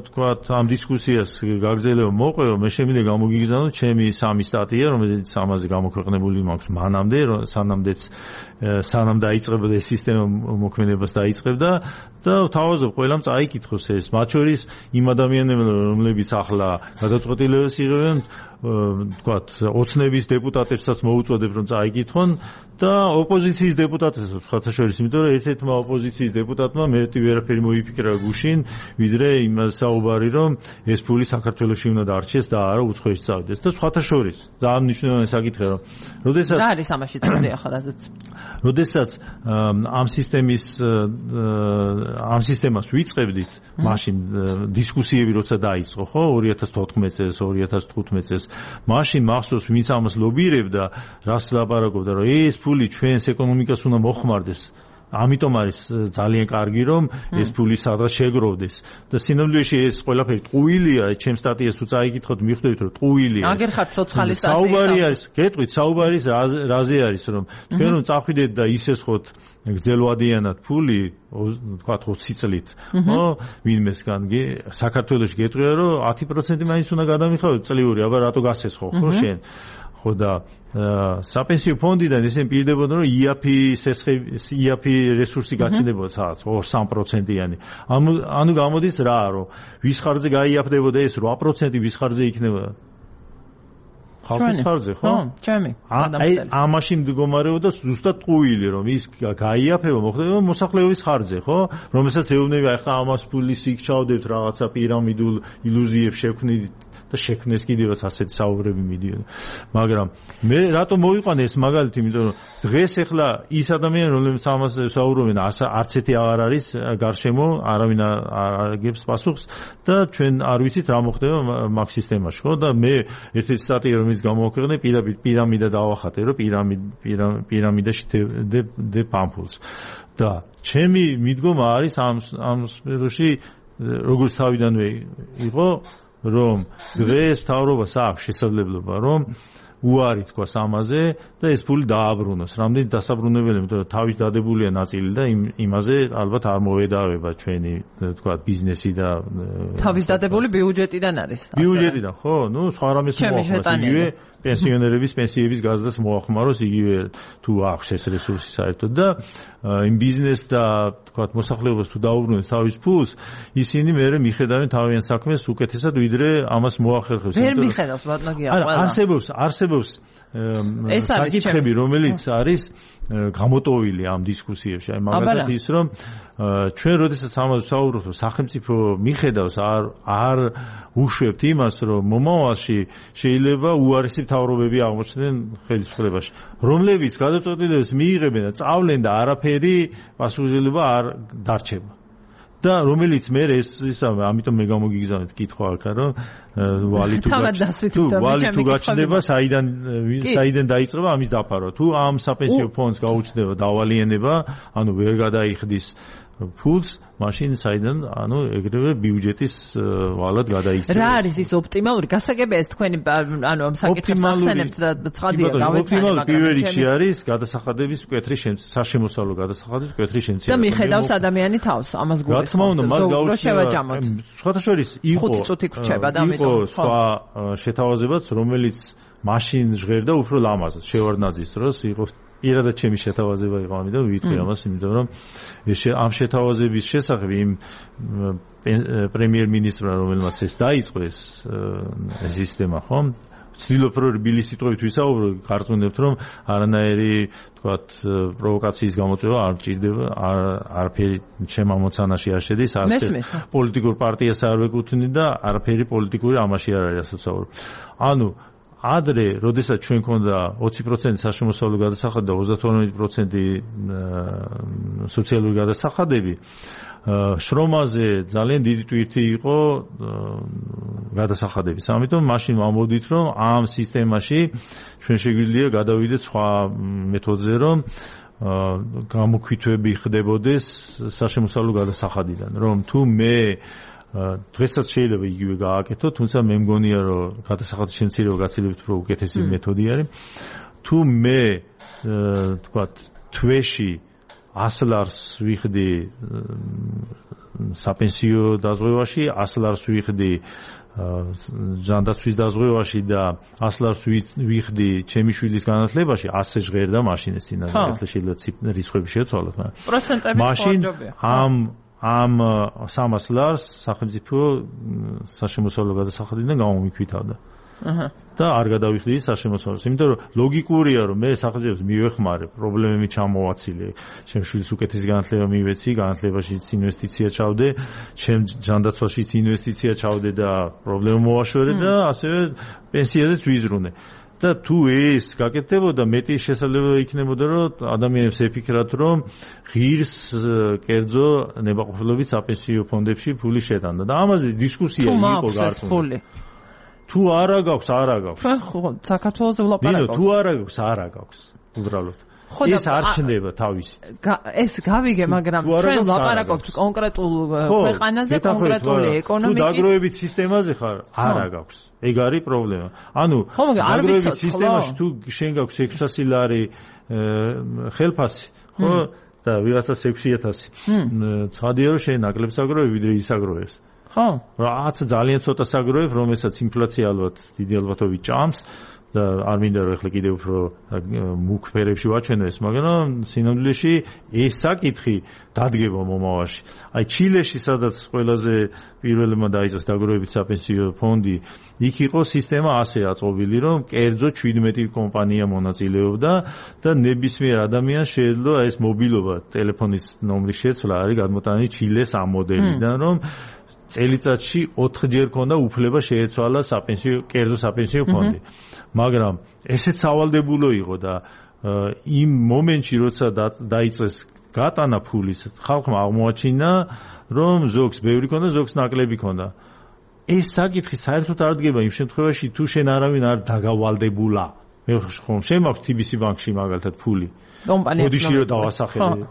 თქვათ ამ დისკუსიას გაგრძელება მოყვეო, მე მინდა გამოგიგზავნო ჩემი სამი სტატია, რომელიც ამაზე გამოქვეყნებული მაქვს მანამდე, სანამდეც სანამ დაიწყებოდა ეს სისტემა მოქმედებას დაიწყებდა და თავაზობ ყველამ წაიკითხოს ეს, მათ შორის იმ ადამიანებმა, რომლებიც ახლა გადაწყვეტილებას იღებენ, თქვათ, ოცნების დეპუტატებსაც მოუწოდებ, რომ წაიკითხონ და ოპოზიციის დეპუტატებსაც სხვათა შორის, იმიტომ რომ ერთ-ერთმა ოპოზიციის დეპუტატმა მეტი ვერაფერი მოიფიქრა გუშინ, ვიდრე იმას საუბარი, რომ ეს ფული საქართველოში უნდა დარჩეს და არა უცხოეთში წავიდეს და სხვათა შორის. ძალიან მნიშვნელოვანი საკითხია, რომ როდესაც რა არის ამაში წავდი ახლა რაზეც როდესაც ამ სისტემის ამ სისტემას ვიწყებდით, მაშინ დისკუსიები როცა დაიწყო, ხო, ორი ათას თოთხმეტ წელს, ორი ათას თხუთმეტ წელს, მაშინ მახსოვს ვინც ამას ლობირებდა, რას ლაპარაკობდა, რომ ეს ფული ჩვენს ეკონომიკას უნდა მოხმარდეს. ამიტომ არის ძალიან კარგი რომ ეს ფული სადღაც შეგროვდეს და სინამდვილეში ეს ყველაფერი ტყუილია, ჩემს სტატიას თუ წაიკითხოთ მიხვდებით რომ ტყუილია. აგერ ხართ ცოცხალი სტატია. საუბარი არის, გეტყვით, საუბარი რაზე არის რომ თქვენ რომ წახვიდეთ და ისესხოთ გძელვადიანად ფული, თქვათ ოცი წლით, ხო, ვინმესგან საქართველოში გეტყვია რომ ათი პროცენტი მაინც უნდა გადამიხადოთ წლიური, აბა რატო გასესხო, ხო შენ? ხო და საპენსიო ფონდიდან ისინი პირდებოდნენ რომ იაფი იაფი რესურსი გაჩნდებოდა სადაც ორ სამ პროცენტიანი. ანუ გამოდის რა, რომ ვის ხარჯზე გაიაფდებოდა ეს რვა პროცენტი, ვის ხარჯზე იქნებოდა? ხალხის ხარჯზე, ხო? ხო, ჩემი. აი ამაში მდგომარეობდა ზუსტად ტყუილი, რომ ის გაიაფება, მოხდება მოსახლეობის ხარჯზე, ხო? რომელსაც ეუბნები, აი ხა ამას ფულის იქ ჩავდებთ რაღაცა პირამიდულ ილუზიებს შევქმნით და შექმნეს კიდევაც ასეთი საუბრები მიდიოდა. მაგრამ მე რატომ მოვიყვანე ეს მაგალითი, იმიტომ რომ დღეს ახლა ის ადამიანი, რომლებიც ამას საუბრობენ, არც ერთი აღარ არის გარშემო, არავინ არ აგებს პასუხს და ჩვენ არ ვიცით რა მოხდება მაგ სისტემაში, ხო? და მე ერთ-ერთი სტატია რომელიც გამოვაქვეყნე, პირამიდა პირამიდა დავახატე, რომ პირამიდა პირამიდაში დე პამფულს. და ჩემი მიდგომა არის ამ ამ სფეროში როგორც თავიდანვე იყო, რომ დღეს მთავრობას აქვს შესაძლებლობა, რომ უარი თქვას ამაზე და ეს ფული დააბრუნოს. რამდენი დასაბრუნებელი, იმიტომ რომ თავის დადებულია ნაწილი და იმაზე ალბათ არ მოვედავება ჩვენი თქვა ბიზნესი და თავის დადებული ბიუჯეტიდან არის. ბიუჯეტიდან, ხო? ნუ სხვა რამეს მოახმაროს იგივე პენსიონერების პენსიების გაზრდას მოახმაროს იგივე თუ აქვს ეს რესურსი საერთოდ და იმ ბიზნეს და თქვა მოსახლეობას თუ დაუბრუნებს თავის ფულს, ისინი მერე მიხედავენ თავიანთ საქმეს უკეთესად ვიდრე ამას მოახერხებს. ვერ მიხედავს ბატონია ყველა. არა, არსებობს, არსებობს საკითხები, რომელიც არის გამოტოვილი ამ დისკუსიებში. აი მაგალითად ის რომ ჩვენ როდესაც ამაზე საუბრობთ, სახელმწიფო მიხედავს არ არ უშვებთ იმას, რომ მომავალში შეიძლება უარესი მთავრობები აღმოჩნდნენ ხელისუფლებაში, რომლებიც გადაწყვეტილებას მიიღებენ და წავლენ და არაფერი პასუხისმგებლობა არ დარჩება. და რომელიც მე ეს ისა ამიტომ მე გამოგიგზავნეთ კითხვა აქ რომ ვალი თუ ვალი თუ გაჩნდება საიდან საიდან დაიწყება ამის დაფარვა თუ ამ საპენსიო ფონდს გაუჩნდება დავალიანება ანუ ვერ გადაიხდის ფულს მაშინ საიდან ანუ ეგრევე ბიუჯეტის ვალად გადაიქცევა. რა არის ის ოპტიმალური გასაგებია ეს თქვენი ანუ ამ საკითხებს ახსენებთ და ცხადია გავეცანი ოპტიმალური პირველ რიგში არის გადასახადების მკვეთრი საშემოსავლო გადასახადების მკვეთრი შემცირება. და მიხედავს ადამიანი თავს ამას გულისხმობს. რა თქმა უნდა მას გაუჩნდება სხვათა შორის იყო იყო სხვა შეთავაზებაც რომელიც მაშინ ჟღერდა უფრო ლამაზად შევარდნაძის დროს იყო პირადად ჩემი შეთავაზება იყო ამიტომ ვიტყვი ამას იმიტომ რომ ამ შეთავაზების შესახებ იმ პრემიერ-მინისტრმა რომელმაც ეს დაიწყო ეს სისტემა ხო ვცდილობ რომ რბილი სიტყვებით ვისაუბრო გარწმუნებთ რომ არანაირი თქვათ პროვოკაციის გამოწვევა არ ჭირდება არაფერი ჩემ ამოცანაში არ შედის არც პოლიტიკურ პარტიას არ ვეკუთვნი და არაფერი პოლიტიკური ამაში არ არის ასე ვსაუბრობ ანუ ადრე, როდესაც ჩვენ ქონდა ოცი პროცენტი საშემოსავლო გადასახადი და ოცდათორმეტი პროცენტი სოციალური გადასახადები, შრომაზე ძალიან დიდი ტვირთი იყო გადასახადების. ამიტომ მაშინ ვამბობდით, რომ ამ სისტემაში ჩვენ შეგვიძლია გადავიდეთ სხვა მეთოდზე, რომ გამოქვითვები ხდებოდეს საშემოსავლო გადასახადიდან, რომ თუ მე დღესაც შეიძლება იგივე გააკეთო, თუმცა მე მგონია რომ გადასახადის შემცირება გაცილებით უფრო უკეთესი მეთოდი არის. თუ მე თქვათ თვეში ასი ლარს ვიხდი საპენსიო დაზღვევაში, ასი ლარს ვიხდი ჯანდაცვის დაზღვევაში და ასი ლარს ვიხდი ჩემი შვილის განათლებაში, ასე ჟღერდა მაშინ ეს წინასწარ შეიძლება რიცხვები შეცვალოთ, მაგრამ პროცენტები მაშინ ამ ამ სამას ლარს სახელმწიფო საშემოსავლო გადასახადიდან გამომიქვითავდა. აჰა. და არ გადავიხდი საშემოსავლოს. იმიტომ რომ ლოგიკურია რომ მე სახელმწიფოს მივეხმარე, პრობლემები ჩამოვაცილე, ჩემ შვილის უკეთესი განათლება მივეცი, განათლებაშიც ინვესტიცია ჩავდე, ჩემ ჯანდაცვაშიც ინვესტიცია ჩავდე და პრობლემა მოვაშვერე და ასევე პენსიაზეც ვიზრუნე. და თუ ეს გაკეთდებოდა მეტი შესაძლებლობა იქნებოდა რომ ადამიანებს ეფიქრათ რომ ღირს კერძო ნებაყოფლობით საპენსიო ფონდებში ფული შეტანდა და ამაზე დისკუსია იყო გარკვეული თუ არა გაქვს არა გაქვს ჩვენ ხო საქართველოს ვლაპარაკობთ თუ არა გაქვს არა გაქვს უბრალოდ ეს არ ჩნდება თავისი ეს გავიგე მაგრამ ჩვენ ვლაპარაკობთ კონკრეტულ ქვეყანაზე კონკრეტული ეკონომიკის თუ დაგროვებით სისტემაზე ხარ არა გაქვს ეგ არის პრობლემა ანუ დაგროვებით სისტემაში თუ შენ გაქვს ექვსასი ლარი ხელფასი ხო და ვიღაცას ექვსი ათასი ცხადია რომ შენ ნაკლებს აგროვებ ვიდრე ის აგროვებს ხო რაც ძალიან ცოტა საგროვებ რომელსაც ინფლაცია ალბათ დიდი ალბათობით ჭამს და არ მინდა რომ ახლა კიდევ უფრო მუქ ფერებში ვაჩვენო ეს, მაგრამ სინამდვილეში ეს საკითხი დადგება მომავალში. აი ჩილეში, სადაც ყველაზე პირველმა დაიწყეს დაგროვებით საპენსიო ფონდი, იქ იყო სისტემა ასე აწყობილი, რომ კერძო ჩვიდმეტი კომპანია მონაწილეობდა და ნებისმიერ ადამიანს შეეძლო ეს მობილობა, ტელეფონის ნომრის შეცვლა არის გადმოტანილი ჩილეს ამ მოდელიდან, რომ წელიწადში ოთხჯერ ქონდა უფლება შეეცვალა საპენსიო კერძო საპენსიო ფონდი. მაგრამ ესეც სავალდებულო იყო და იმ მომენტში როცა დაიწყეს გატანა ფულის ხალხმა აღმოაჩინა რომ ზოგს ბევრი ქონდა ზოგს ნაკლები ქონდა ეს საკითხი საერთოდ არ დგება იმ შემთხვევაში თუ შენ არავინ არ დაგავალდებულა მე ხომ შემაქვს თი ბი სი ბანკში მაგალითად ფული მოდიში რომ დავასახელე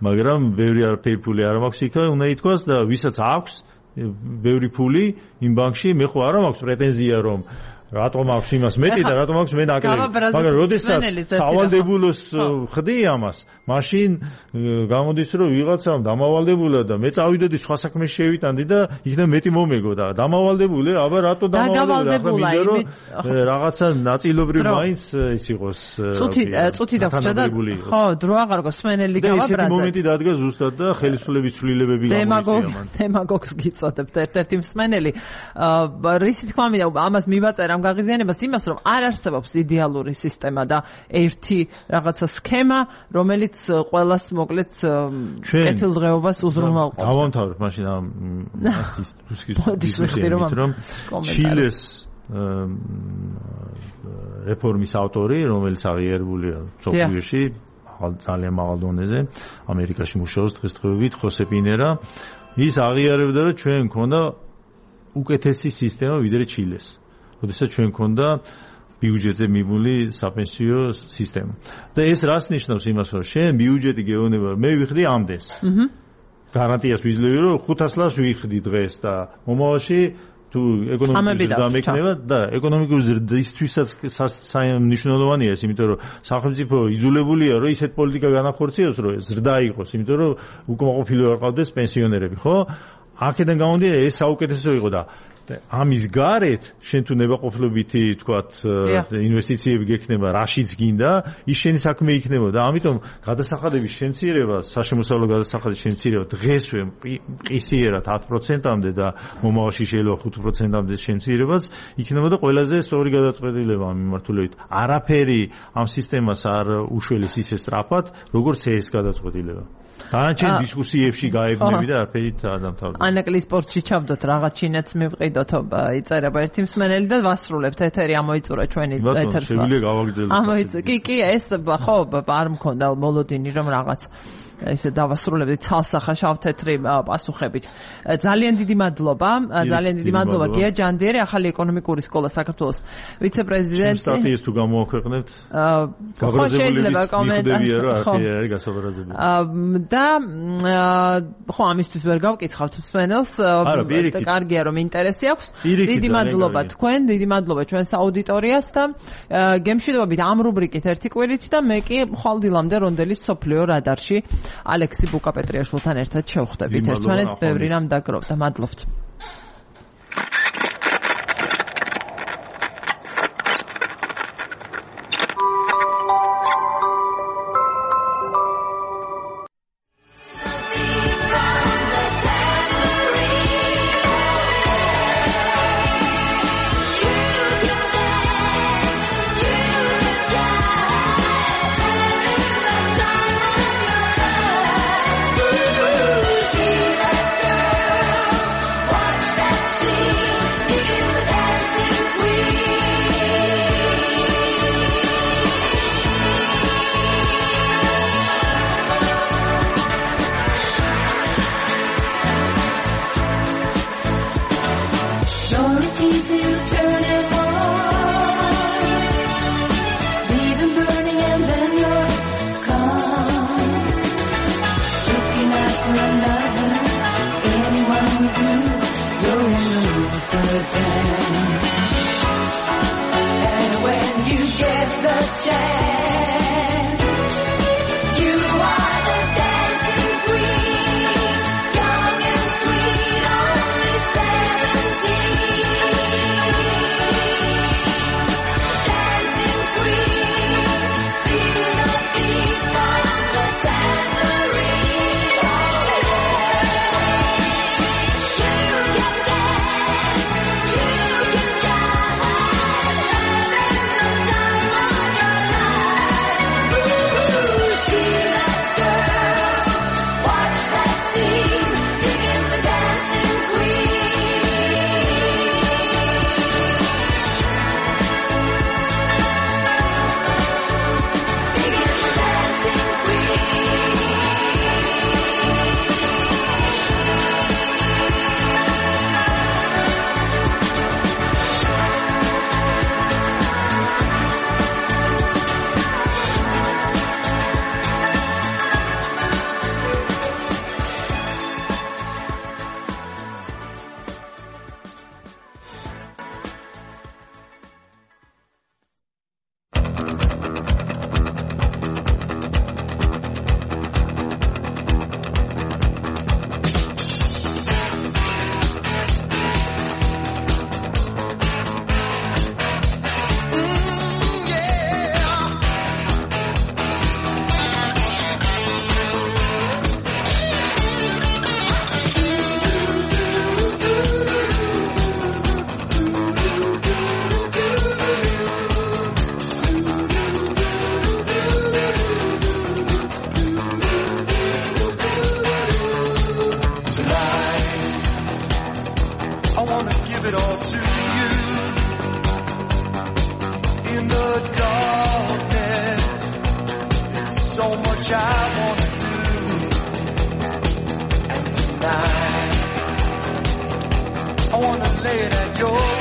მაგრამ ბევრი არაფერი ფული არ მაქვს იქ უნდა ითქვას და ვისაც აქვს ბევრი ფული იმ ბანკში მე ხო არა მაქვს პრეტენზია რომ რატომ აქვს იმას მეტი და რატომ აქვს მე ნაკლები. მაგრამ როდესაც სავალდებულოს ხდი ამას, მაშინ გამოდის რომ ვიღაცამ დამავალდებულა და მე წავიდოდი სხვა საქმეში შევიტანდი და იქნებ მეტი მომეგო და დამავალებული, აბა რატო დამავალებული? ახლა მინდა რომ რაღაცა ნაწილობრივ მაინც ის იყოს. წუთი წუთი დავრჩა და ხო, დრო აღარ გოს სვენელი გავაბრაზა. და ესეთი მომენტი დადგა ზუსტად და ხელისუფლების ცვლილებები გამოიწვია. დემაგოგს გიწოდებთ ერთ-ერთი მსმენელი. რისი თქმა მინდა ამას მივაწერა ამ გაღიზიანებას იმას რომ არ არსებობს იდეალური სისტემა და ერთი რაღაცა სქემა რომელიც ყველას მოკლედ კეთილდღეობას უზრუნველყოფს. დავამთავრებ მაშინ ამ ასის დისკუსიით რომ ჩილეს რეფორმის ავტორი რომელიც აღიარებულია სოფლიოში ძალიან მაღალ დონეზე ამერიკაში მუშაობს დღესდღეობით ხოსე პინერა ის აღიარებდა რომ ჩვენ მქონდა უკეთესი სისტემა ვიდრე ჩილეს. როდესაც ჩვენ მქონდა ბიუჯეტზე მიმული საპენსიო სისტემა. და ეს რას ნიშნავს იმას რომ შენ ბიუჯეტი გეუბნება მე ვიხდი ამდენს. აჰა. გარანტიას ვიძლევი რომ ხუთას ლარს ვიხდი დღეს და მომავალში თუ ეკონომიკური ზრდა მექნება და ეკონომიკური ზრდისთვისაც მნიშვნელოვანია ეს, იმიტომ რომ სახელმწიფო იძულებულია რომ ისეთ პოლიტიკა განახორციელოს რომ ზრდა იყოს, იმიტომ რომ უკმაყოფილო არ ყავდეს პენსიონერები, ხო? აქედან გამომდინარე ეს საუკეთესო იყო და ამის გარეთ შენ თუ ნებაყოფლობითი თქვათ ინვესტიციები გექნება რაშიც გინდა ის შენი საქმე იქნება და ამიტომ გადასახადების შემცირება საშემოსავლო გადასახადის შემცირება დღესვე მყისიერად ათ პროცენტამდე და მომავალში შეიძლება ხუთ პროცენტამდე შემცირებაც იქნება და ყველაზე სწორი გადაწყვეტილება ამ მიმართულებით არაფერი ამ სისტემას არ უშველეს ისე სწრაფად როგორც ეს გადაწყვეტილება. დანარჩენ დისკუსიებში გაებნები და არაფერით არ დამთავრდება. ანაკლის სპორტში ჩავდოთ რაღაც ჩინეთს მივყიდოთ იწერება ერთი მსმენელი და ვასრულებთ ეთერი ამოიწურა ჩვენი ეთერს. შეგვიძლია გავაგრძელოთ. ამოიწურა. კი, კი, ეს ხო არ მქონდა მოლოდინი რომ რაღაც ესე დავასრულებდი ცალსახა შავთეთრი პასუხებით. ძალიან დიდი მადლობა, ძალიან დიდი მადლობა გია ჯანდიერი, ახალი ეკონომიკური სკოლა საქართველოს ვიცე-პრეზიდენტი. სტატიას თუ გამოაქვეყნებთ? შეიძლება კომენტარია რომ არაფერი არის გასაბარაზებელი. და ხო ამისთვის ვერ გავკითხავთ მსმენელს, კარგია რომ ინტერესი აქვს. დიდი მადლობა თქვენ, დიდი მადლობა ჩვენს აუდიტორიას და გემშვიდობებით ამ რუბრიკით ერთი კვირით და მე კი ხვალდილამდე რონდელის სოფლიო რადარში ალექსი ბუკაპეტრიაშვილთან ერთად შევხვდებით. ერთმანეთს ბევრი რამ დაგროვდა. მადლობთ. You can it all to you. In the darkness, there's so much I want to do. And tonight, I want to lay it at your